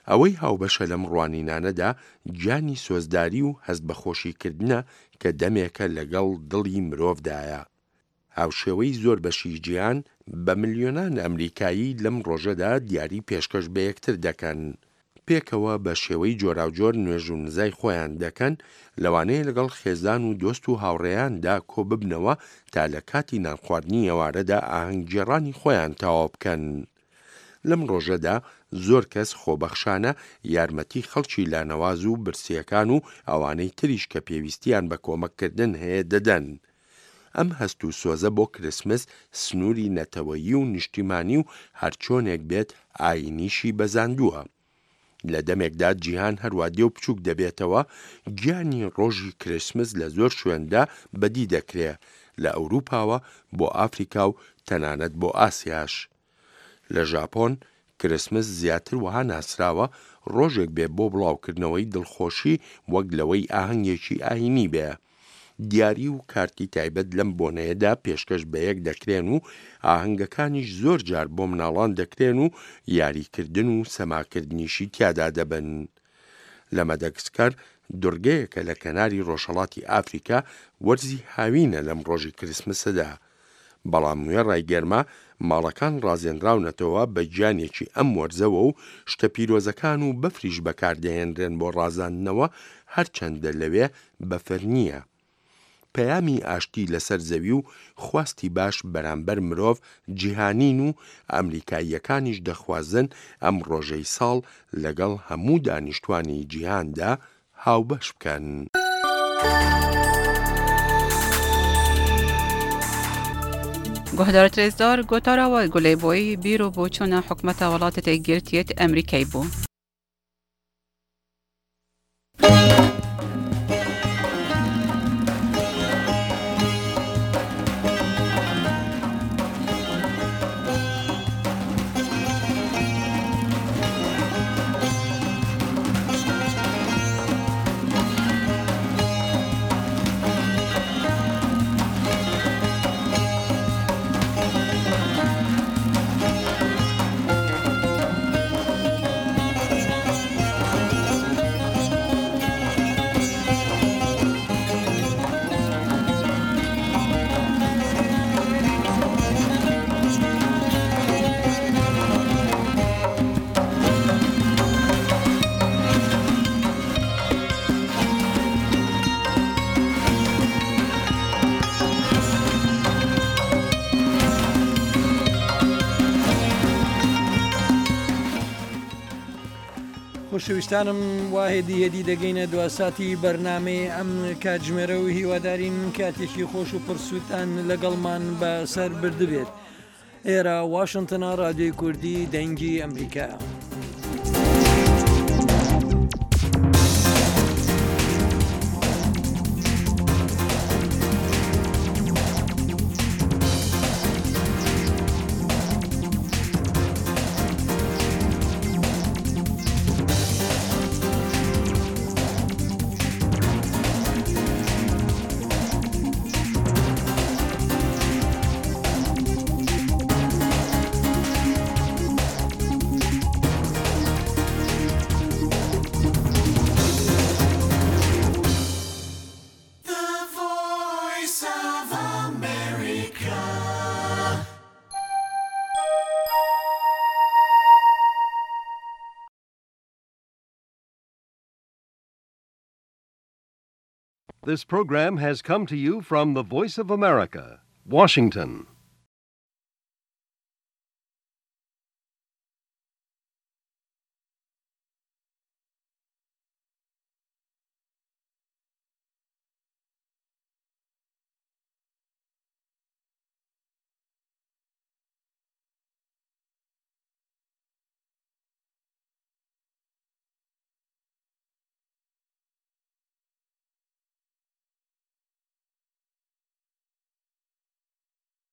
ئەوەی هاوبەشە لەم ڕوانینانەدا گیانی سۆزداری و هەست بە خۆشیکردنە کە دەمێکە لەگەڵ دڵی مرۆڤدایە. هاوشێوەی زۆر بەشی جیهان، بە ملیۆنان ئەمریکایی لەم ڕۆژەدا دیاری پێشکەش بە یەکتر دەکەن. پێکەوە بە شێوەی جۆراوجۆر نوێژ و نزای خۆیان دەکەن، لەوانەیە لەگەڵ خێزان و دۆست و هاوڕێیاندا کۆببنەوە تا لە کاتی نانخواردنی ئێوارەدا ئاهەنگگێڕانی خۆیان تەواو بکەن. لەم ڕۆژەدا زۆر کەس خۆبەخشانە یارمەتی خەڵکی لانەواز و برسییەکان و ئەوانەی تریش کە پێویستیان بە کۆمەککردن هەیە دەدەن. ئەم هەست و سۆزە بۆ کریسمس سنووری نەتەوەیی و نیشتیمانی و هەرچۆنێک بێت ئایینیشی بەزاندووە. لە دەمێکدا جیهان هەروا دێ و بچووک دەبێتەوە، گیانی ڕۆژی کریسمس لە زۆر شوێندا بەدی دەکرێ، لە ئەوروپاوە بۆ ئافریکا و تەنانەت بۆ ئاسیاش. لە ژاپۆن کریسمس زیاتر وەها ناسراوە ڕۆژێک بێ بۆ بڵاوکردنەوەی دڵخۆشی وەک لەوەی ئاهەنگێکی ئایینی بێ. دیاری و کارتی تایبەت لەم بۆنەیەدا پێشکەش بەیەک دەکرێن و ئاهەنگەکانیش زۆر جار بۆ مناڵان دەکرێن و یاریکردن و سەماکردنیشی تیادا دەبن. لە مەدەگسکەر دورگەیەکە لە کەناری ڕۆژهەڵاتی ئافریکا وەرزی هاوینە لەم ڕۆژی کریسمسەدا بەڵام وێڕای گەرما، ماڵەکان ڕازێنراونەتەوە بە گیانێکی ئەم وەرزەوە و شتە پیرۆزەکان و بەفریش بەکاردەهێنرێن بۆ ڕازاندنەوە، هەرچەندە لەوێ بەفر نییە. پەیامی ئاشتی لەسەر زەوی و خواستی باش بەرامبەر مرۆڤ جیهانین و ئەمریکاییەکانیش دەخوازن ئەم ڕۆژەی ساڵ لەگەڵ هەموو دانیشتوانی جیهاندا هاوبەش بکەن. گوهدار ترێزدار گۆتارا وای گولەی بۆی بیر و بۆچوونە حکومەتە وڵاتە گرتیەت ئەمریکای بوو. خۆشەویستانم وا هێدی هێدی دەگەینە دواساتی بەرنمەی ئەم کاتژمێرە و هیوادارین کاتێکی خۆش و پرسووتان لەگەڵمان بەسەر بردبێت. ئێرە واشنتنە ڕادیۆی کوردی دەنگی ئەمریکایە. This program has come to you from the Voice of America, Washington.